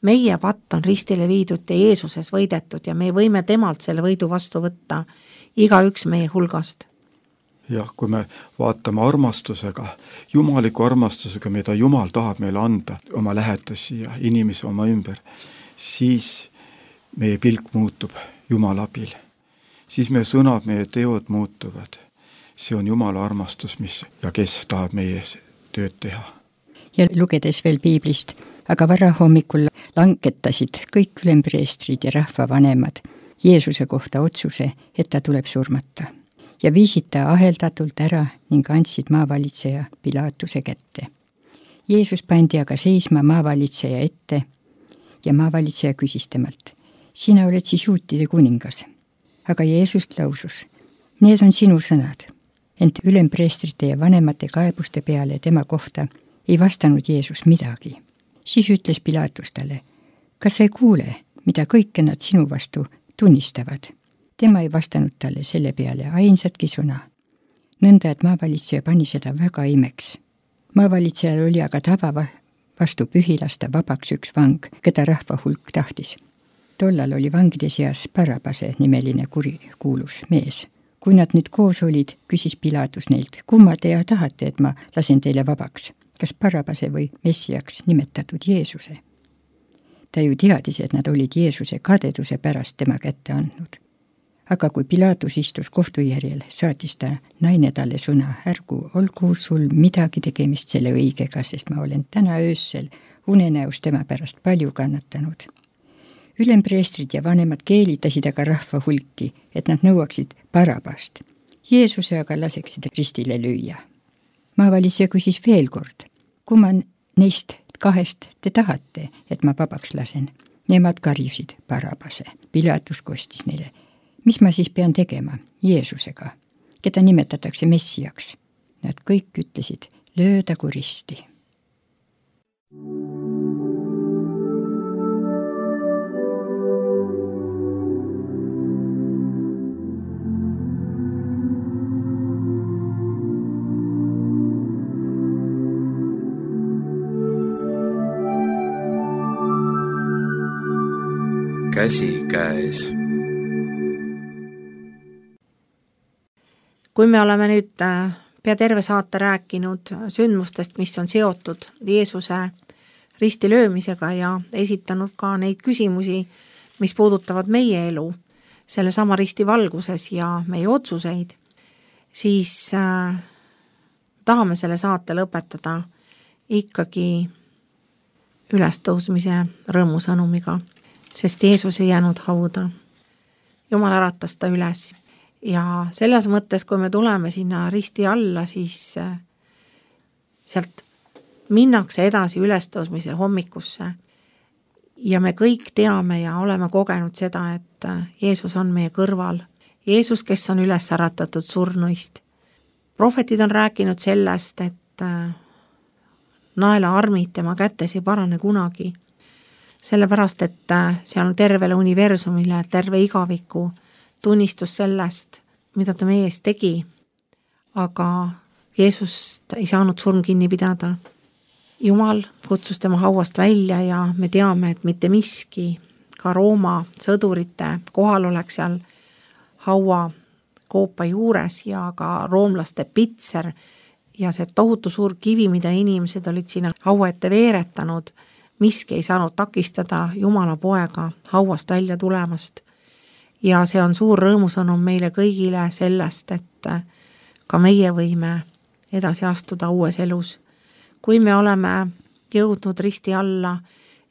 Meie patt on ristile viidud ja Jeesuses võidetud ja me võime temalt selle võidu vastu võtta, igaüks meie hulgast. Jah, kui me vaatame armastusega, jumaliku armastusega, mida Jumal tahab meile anda, oma lähetusi ja inimesi oma ümber, siis meie pilk muutub Jumala abil. Siis meie sõnad, meie teod muutuvad. See on Jumala armastus, mis ja kes tahab meie tööd teha. Ja lugedes veel piiblist, aga varahommikul langetasid kõik ülempreestrid ja rahvavanemad Jeesuse kohta otsuse, et ta tuleb surmata. Ja viisid ta aheldatult ära ning andsid maavalitseja Pilaatuse kätte. Jeesus pandi aga seisma maavalitseja ette ja maavalitseja küsis temalt, sina oled siis juutide kuningas. Aga Jeesus lausus, need on sinu sõnad. Ent ülempreestrite ja vanemate kaebuste peale tema kohta ei vastanud Jeesus midagi. Siis ütles Pilaatus talle, kas sa ei kuule, mida kõike nad sinu vastu tunnistavad? Tema ei vastanud talle selle peale ainsatki sõna. Nõnda, et maavalitseja pani seda väga imeks. Maavalitsejal oli aga tava vastu pühilasta vabaks üks vang, keda rahva hulk tahtis. Tollal oli vangide seas Barabase nimeline kurikuulus mees. Kui nad nüüd koos olid, küsis Pilaatus neilt, kumma te tahate, et ma lasen teile vabaks, kas Barabase või Messiaks nimetatud Jeesuse? Ta ju teadis, et nad olid Jeesuse kadeduse pärast tema kätte andnud. Aga kui Pilaatus istus kohtujärjel, saatis ta naine talle sõna, ärgu olgu sul midagi tegemist selle õigega, sest ma olen täna öössel unenäos tema pärast palju kannatanud. Ülempreestrid ja vanemad keelitasid aga rahva hulki, et nad nõuaksid Barabast. Jeesuse aga laseksid ristile lüüa. Maavalitseja küsis veel kord, kumma neist kahest te tahate, et ma vabaks lasen? Nemad karjusid Barabase. Pilaatus kostis neile, mis ma siis pean tegema Jeesusega, keda nimetatakse Messiaks? Nad kõik ütlesid, löödagu risti. Käsi käes. Kui me oleme nüüd pea terve saate rääkinud sündmustest, mis on seotud Jeesuse ristilöömisega ja esitanud ka neid küsimusi, mis puudutavad meie elu selle sama risti valguses ja meie otsuseid, siis tahame selle saate lõpetada ikkagi ülestõusmise rõõmusõnumiga, sest Jeesus ei jäänud hauda. Jumal äratas ta üles. Ja selles mõttes, kui me tuleme sinna risti alla, siis sealt minnakse edasi ülestõusmise hommikusse. Ja me kõik teame ja oleme kogenud seda, et Jeesus on meie kõrval. Jeesus, kes on üles äratatud surnuist. Prohvetid on rääkinud sellest, et naelaarmid tema kätes ei parane kunagi. Sellepärast, et see on tervele universumile, terve igaviku tunnistus sellest, mida ta meie eest tegi, aga Jeesust ei saanud surm kinni pidada. Jumal kutsus tema hauast välja ja me teame, et mitte miski, ka Rooma sõdurite kohalolek seal haua koopa juures ja ka roomlaste pitser ja see tohutu suur kivi, mida inimesed olid sinna haua ette veeretanud, miski ei saanud takistada Jumala poega hauast välja tulemast. Ja see on suur rõõmusõnum meile kõigile sellest, et ka meie võime edasi astuda uues elus. Kui me oleme jõudnud risti alla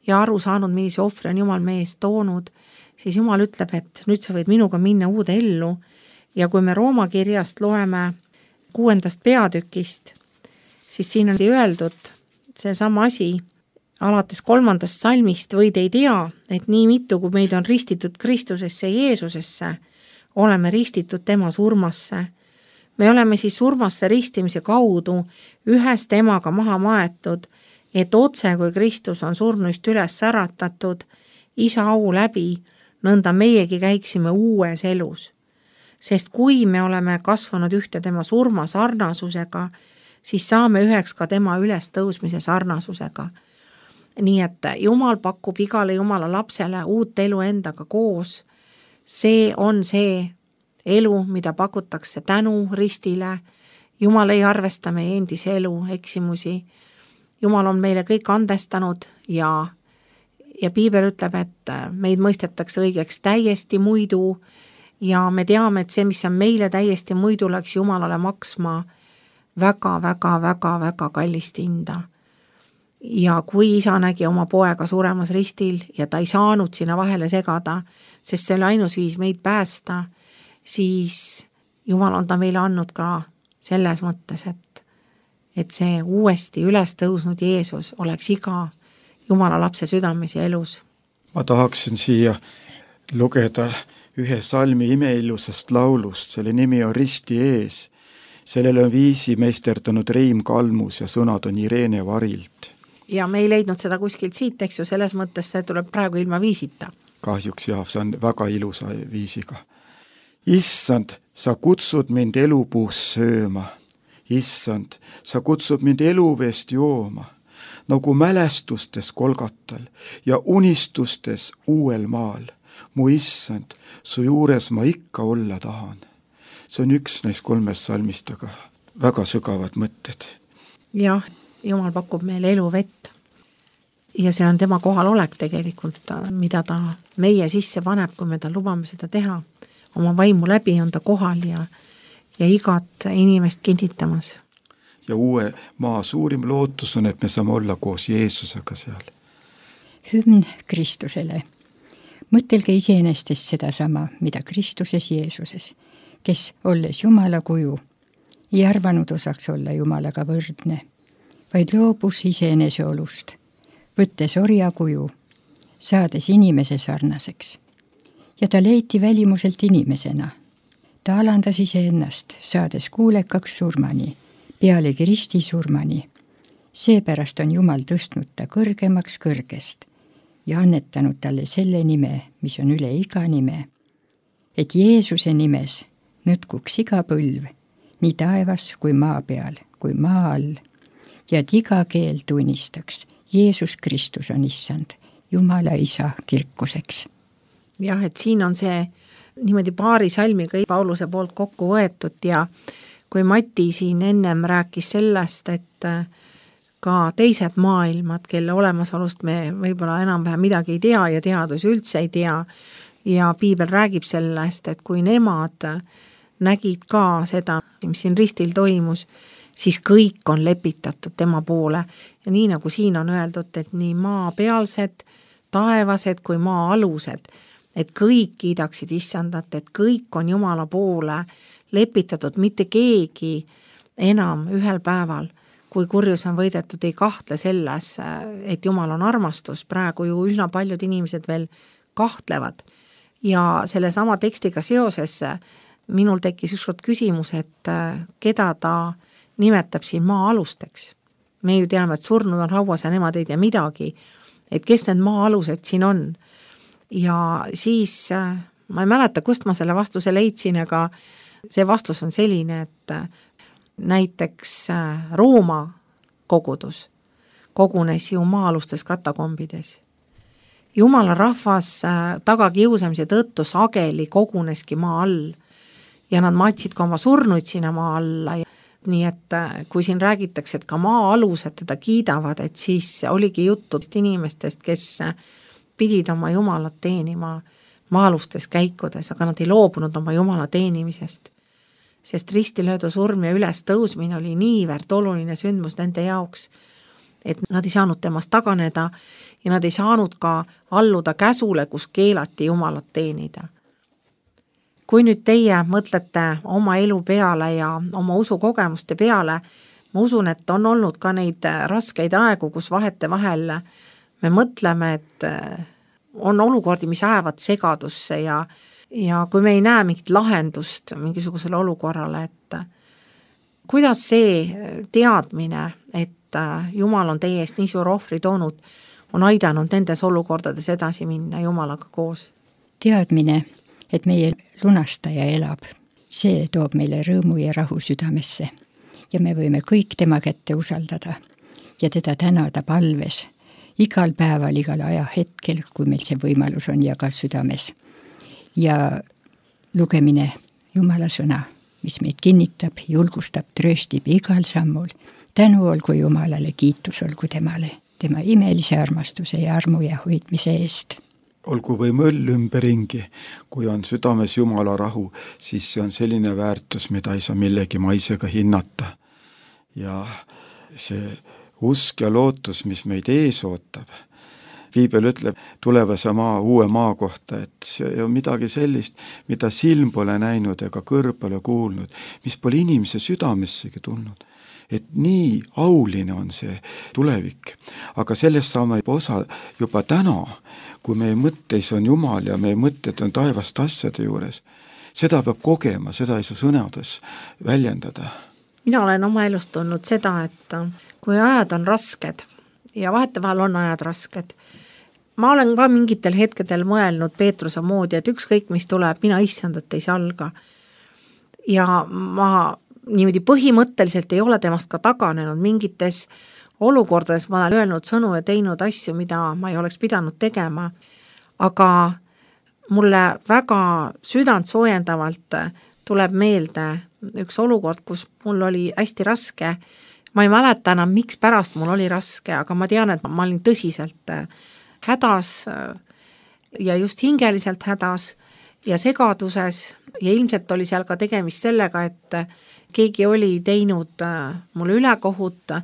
ja aru saanud, millise ohvri on Jumal meie eest toonud, siis Jumal ütleb, et nüüd sa võid minuga minna uude ellu. Ja kui me Rooma kirjast loeme 6. peatükist, siis siin on öeldud see sama asi, alates 3. salmist võid ei tea, et nii mitu, kui meid on ristitud Kristusesse Jeesusesse, oleme ristitud tema surmasse. me oleme siis surmasse ristimise kaudu ühest emaga maha maetud, et otse kui Kristus on surnuist üles äratatud, isa au läbi, nõnda meiegi käiksime uues elus. Sest kui me oleme kasvanud ühte tema surma sarnasusega, siis saame üheks ka tema ülestõusmise sarnasusega. Nii et Jumal pakub igale Jumala lapsele uut elu endaga koos. See on see elu, mida pakutakse tänu ristile. Jumal ei arvesta meie endise elu eksimusi. Jumal on meile kõik andestanud ja Piibel ütleb, et meid mõistetakse õigeks täiesti muidu ja me teame, et see, mis on meile täiesti muidu, läks Jumalale maksma väga kallist hinda. Ja kui isa nägi oma poega suremas ristil ja ta ei saanud sinna vahele segada, sest see oli ainus viis meid päästa, siis Jumal on ta meile andnud ka selles mõttes, et see uuesti üles tõusnud Jeesus oleks iga Jumala lapse südames ja elus. Ma tahaksin siia lugeda ühe salmi imeilusast laulust, selle nimi on Risti ees. Sellele on viisi meisterdanud Reim Kalmus ja sõnad on Irene Varilt. Ja me ei leidnud seda kuskilt siit, eks ju, selles mõttes see tuleb praegu ilma viisita. Kahjuks jah, see on väga ilusa viisiga. Issand, sa kutsud mind elupuust sööma. Issand, sa kutsud mind eluveest jooma, nagu mälestustes Kolgatal ja unistustes uuel maal. Mu issand, su juures ma ikka olla tahan. See on üks neist 3 salmist, aga väga sügavad mõtted. Jah, Jumal pakub meile eluvett ja see on tema kohalolek tegelikult, mida ta meie sisse paneb, kui me ta lubame seda teha. Oma vaimu läbi on ta kohal ja igat inimest kinnitamas. Ja uue maa suurim lootus on, et me saame olla koos Jeesusega seal. Hümn Kristusele. Mõtelge iseenestest seda sama, mida Kristuses Jeesuses, kes olles Jumala kuju, ei arvanud osaks olla Jumalaga võrdne, vaid loobus iseenese olust, võttes orja kuju, saades inimese sarnaseks. Ja ta leiti välimuselt inimesena. Ta alandas iseennast, saades kuulekaks surmani, pealegi risti surmani. Seepärast on Jumal tõstnud ta kõrgemaks kõrgest ja annetanud talle selle nime, mis on üle iga nime, et Jeesuse nimes nõtkuks iga põlv, nii taevas kui maa peal, kui maa all, ja et iga keel tunnistaks, Jeesus Kristus on issand, Jumala isa kirkuseks. Jah, et siin on see niimoodi paari salmiga Pauluse poolt kokku võetud ja kui Mati siin ennem rääkis sellest, et ka teised maailmad, kelle olemasolust me võib-olla enam-vähem midagi ei tea ja teadus üldse ei tea ja Piibel räägib sellest, et kui nemad nägid ka seda, mis siin ristil toimus, siis kõik on lepitatud tema poole ja nii nagu siin on öeldud, et nii maa pealsed, taevased kui maa alused, et kõik kiidaksid issandat, et kõik on Jumala poole lepitatud, mitte keegi enam ühel päeval, kui kurjus on võidetud, ei kahtle selles, et Jumal on armastus, praegu ju üsna paljud inimesed veel kahtlevad. Ja selle sama tekstiga seoses minul tekkis ükskord küsimus, et keda ta nimetab siin maa alusteks. Me ju teame, et surnud on hauas ja nemad ei tea midagi, et kes need maa alused siin on. Ja siis ma ei mäleta, kust ma selle vastuse leidsin, aga see vastus on selline, et näiteks Rooma kogudus kogunes ju maa-alustes katakombides. Jumala rahvas tagakiusamise tõttu sageli koguneski maa all ja nad matsid ka oma surnuid sinna maa alla. Nii et kui siin räägitakse, et ka maa alused teda kiidavad, et siis oligi juttu inimestest, kes pidid oma Jumalat teenima maa-alustes käikudes, aga nad ei loobunud oma Jumala teenimisest. Sest ristilöödu surm ja üles tõusmine oli niivõrd oluline sündmus nende jaoks, et nad ei saanud temast taganeda ja nad ei saanud ka alluda käsule, kus keelati Jumalat teenida. Kui nüüd teie mõtlete oma elu peale ja oma usukogemuste peale, ma usun, et on olnud ka neid raskeid aegu, kus vahete vahel me mõtleme, et on olukordi, mis ajavad segadusse ja kui me ei näe mingit lahendust mingisugusele olukorrale, et kuidas see teadmine, et Jumal on teie eest nii suur ohvri toonud, on aidanud nendes olukordades edasi minna Jumalaga koos? Teadmine, et meie lunastaja elab, see toob meile rõõmu ja rahu südamesse ja me võime kõik tema kätte usaldada ja teda tänada palves igal päeval, igal ajahetkel, kui meil see võimalus on ja ka südames. Ja lugemine Jumala sõna, mis meid kinnitab, julgustab, trööstib igal sammul. Tänu olgu Jumalale, kiitus olgu temale, tema imelise armastuse ja armu ja hoidmise eest. Olgu või mõll ümberringi, kui on südames Jumala rahu, siis see on selline väärtus, mida ei saa millegi maisega hinnata. Ja see usk ja lootus, mis meid ees ootab. Piibel ütleb tulevase uue maa kohta, et see on midagi sellist, mida silm pole näinud ega kõrv pole kuulnud, mis pole inimese südamessegi tulnud. Et nii auline on see tulevik, aga sellest saame osa juba täna, kui meie mõtteis on Jumal ja meie mõtted on taevast asjade juures. Seda peab kogema, seda ei saa sõnades väljendada. Mina olen oma elust tundnud seda, et kui ajad on rasked ja vahetevahel on ajad rasked, ma olen ka mingitel hetkedel mõelnud Peetruse moodi, et ükskõik mis tuleb, mina issandat ei salga. Ja ma niimoodi põhimõtteliselt ei ole temast ka taganenud mingites olukordades, ma olen öelnud sõnu ja teinud asju, mida ma ei oleks pidanud tegema, aga mulle väga südant soojendavalt tuleb meelde üks olukord, kus mul oli hästi raske. Ma ei mäleta enam, miks pärast mul oli raske, aga ma tean, et ma olin tõsiselt hädas ja just hingeliselt hädas ja segaduses ja ilmselt oli seal ka tegemist sellega, et keegi oli teinud mulle ülekohut,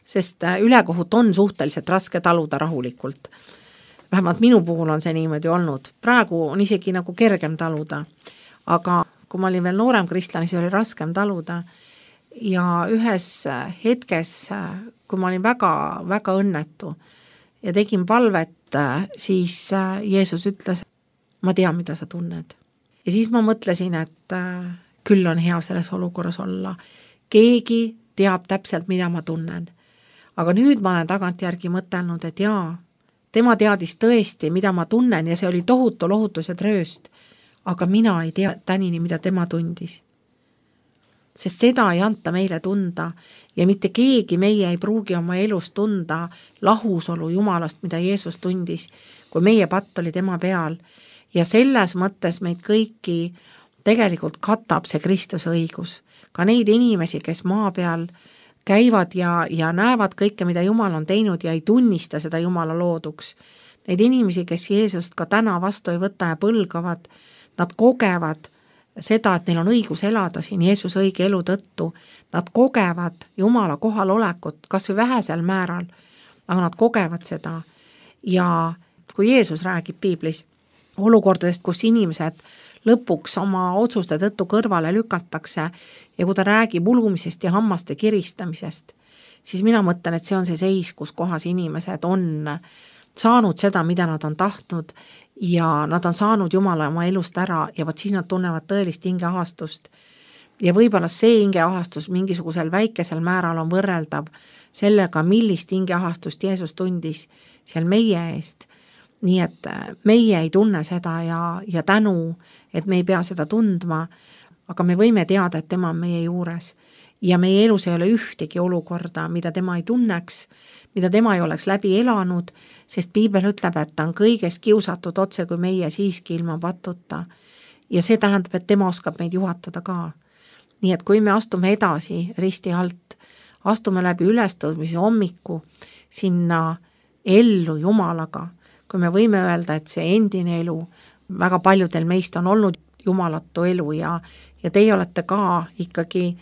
sest ülekohut on suhteliselt raske taluda rahulikult. Vähemalt minu puhul on see niimoodi olnud. Praegu on isegi nagu kergem taluda, aga kui ma olin veel noorem kristlane, siis oli raskem taluda ja ühes hetkes, kui ma olin väga, väga õnnetu ja tegin palvet, siis Jeesus ütles, ma tean, mida sa tunned. Ja siis ma mõtlesin, et küll on hea selles olukorras olla. Keegi teab täpselt, mida ma tunnen. Aga nüüd ma olen tagantjärgi mõtelnud, et jaa, tema teadis tõesti, mida ma tunnen ja see oli tohutu lohutus ja trööst. Aga mina ei tea tänini, mida tema tundis. Sest seda ei anta meile tunda ja mitte keegi meie ei pruugi oma elus tunda lahusolu Jumalast, mida Jeesus tundis, kui meie patt oli tema peal. Ja selles mõttes meid kõiki tegelikult katab see Kristuse õigus. Ka neid inimesi, kes maa peal käivad ja näevad kõike, mida Jumal on teinud ja ei tunnista seda Jumala looduks. Neid inimesi, kes Jeesust ka täna vastu ei võta ja põlgavad, nad kogevad seda, et neil on õigus elada siin Jeesuse õige elu tõttu. Nad kogevad Jumala kohalolekut, kas või vähesel määral, aga nad kogevad seda. Ja kui Jeesus räägib piiblis olukordadest, kus inimesed lõpuks oma otsuste tõttu kõrvale lükatakse ja kui ta räägib ulumisest ja hammaste kiristamisest, siis mina mõtlen, et see on see seis, kus kohas inimesed on saanud seda, mida nad on tahtnud ja nad on saanud Jumala oma elust ära ja võt siis nad tunnevad tõelist hingeahastust. Ja võib-olla see hingeahastus mingisugusel väikesel määral on võrreldav sellega, millist hingeahastust Jeesus tundis seal meie eest. Nii et meie ei tunne seda ja tänu, et me ei pea seda tundma, aga me võime teada, et tema on meie juures. Ja meie elus ei ole ühtegi olukorda, mida tema ei tunneks, mida tema ei oleks läbi elanud, sest piibel ütleb, et ta on kõigest kiusatud otse kui meie siiski ilma patuta. Ja see tähendab, et tema oskab meid juhatada ka. Nii et kui me astume edasi risti alt, astume läbi ülestõusmise hommiku sinna ellu Jumalaga, kui me võime öelda, et see endine elu, väga paljudel meist on olnud jumalatu elu ja teie olete ka ikkagi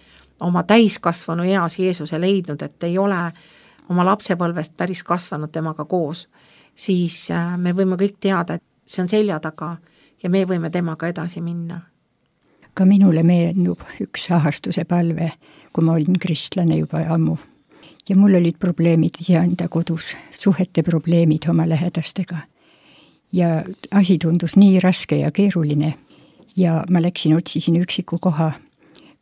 oma täiskasvanu eas Jeesuse leidnud, et ei ole oma lapsepõlvest päris kasvanud temaga koos, siis me võime kõik teada, et see on selja taga ja me võime temaga edasi minna. Ka minule meenub üks ahastuse palve, kui ma olin kristlane juba ammu. Ja mul olid probleemid enda kodus, suhete probleemid oma lähedastega. Ja asi tundus nii raske ja keeruline. Ja ma läksin, otsisin üksiku koha,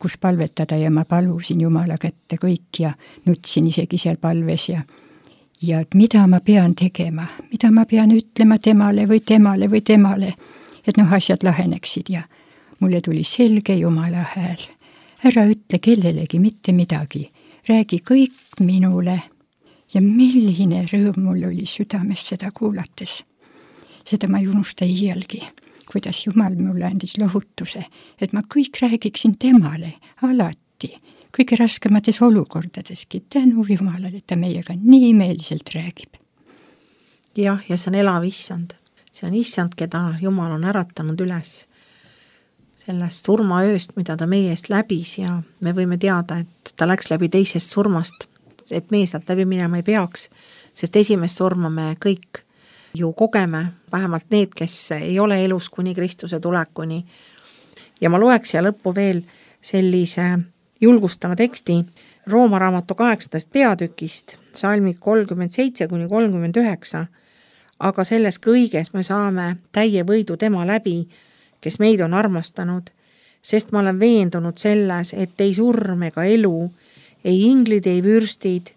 kus palvetada ja ma palusin Jumala kätte kõik ja nutsin isegi seal palves ja et mida ma pean tegema, mida ma pean ütlema temale või temale või temale, et asjad laheneksid ja mulle tuli selge Jumala hääl. Ära ütle kellelegi mitte midagi, räägi kõik minule ja milline rõõm mul oli südames seda kuulates. Seda ma ei unusta iialgi, kuidas Jumal mulle andis lohutuse, et ma kõik räägiksin temale alati, kõige raskemates olukordadeski, tänu Jumalale, et ta meiega nii meelselt räägib. Jah, ja see on elav issand. See on issand, keda Jumal on äratanud üles sellest surmaööst, mida ta meie eest läbis ja me võime teada, et ta läks läbi teisest surmast, et meie sealt läbi minema ei peaks, sest esimest surma me kõik ju kogeme, vähemalt need, kes ei ole elus kuni Kristuse tulekuni. Ja ma loeks ja lõppu veel sellise julgustava teksti Rooma raamatu 8. peatükist, salmid 37-39, aga selles kõiges me saame täie võidu tema läbi, kes meid on armastanud, sest ma olen veendunud selles, et ei surm ega elu, ei inglid, ei vürstid,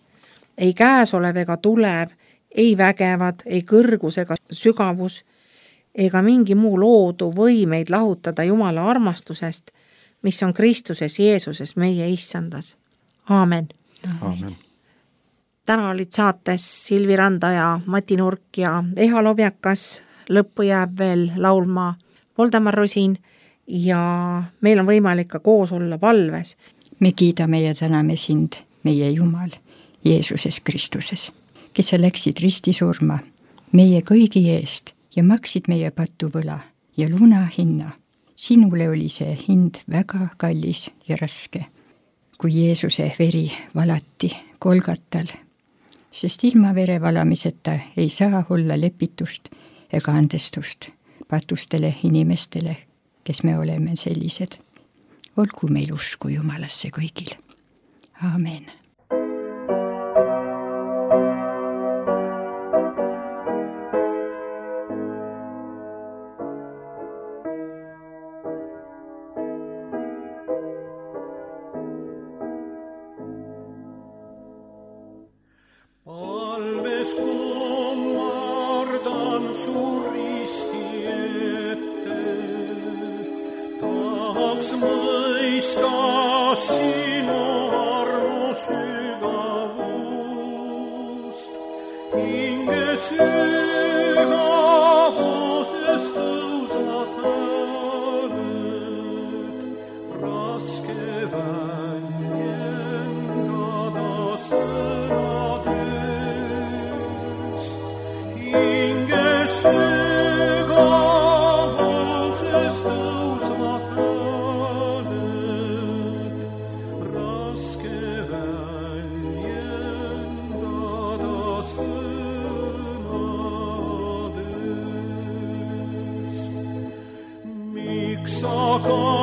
ei käesolev ega tulev, ei vägevad, ei kõrgus ega sügavus, ega mingi muu loodu või meid lahutada Jumala armastusest, mis on Kristuses Jeesuses meie issandas. Aamen. Aamen. Täna olid saates Silvi Randa ja Mati Nurk ja Eha Lobjakas, lõppu jääb veel laulma Voldemar Rosin ja meil on võimalik ka koos olla palves. Me kiidame ja täname sind, meie Jumal, Jeesuses Kristuses, kes sa läksid ristisurma meie kõigi eest ja maksid meie patuvõla ja luna hinna. Sinule oli see hind väga kallis ja raske, kui Jeesuse veri valati Golgatal, sest ilma vere valamiseta ei saa olla lepitust ega andestust patustele inimestele, kes me oleme sellised. Olgu meil usku Jumalasse kõigil. Aamen. Saka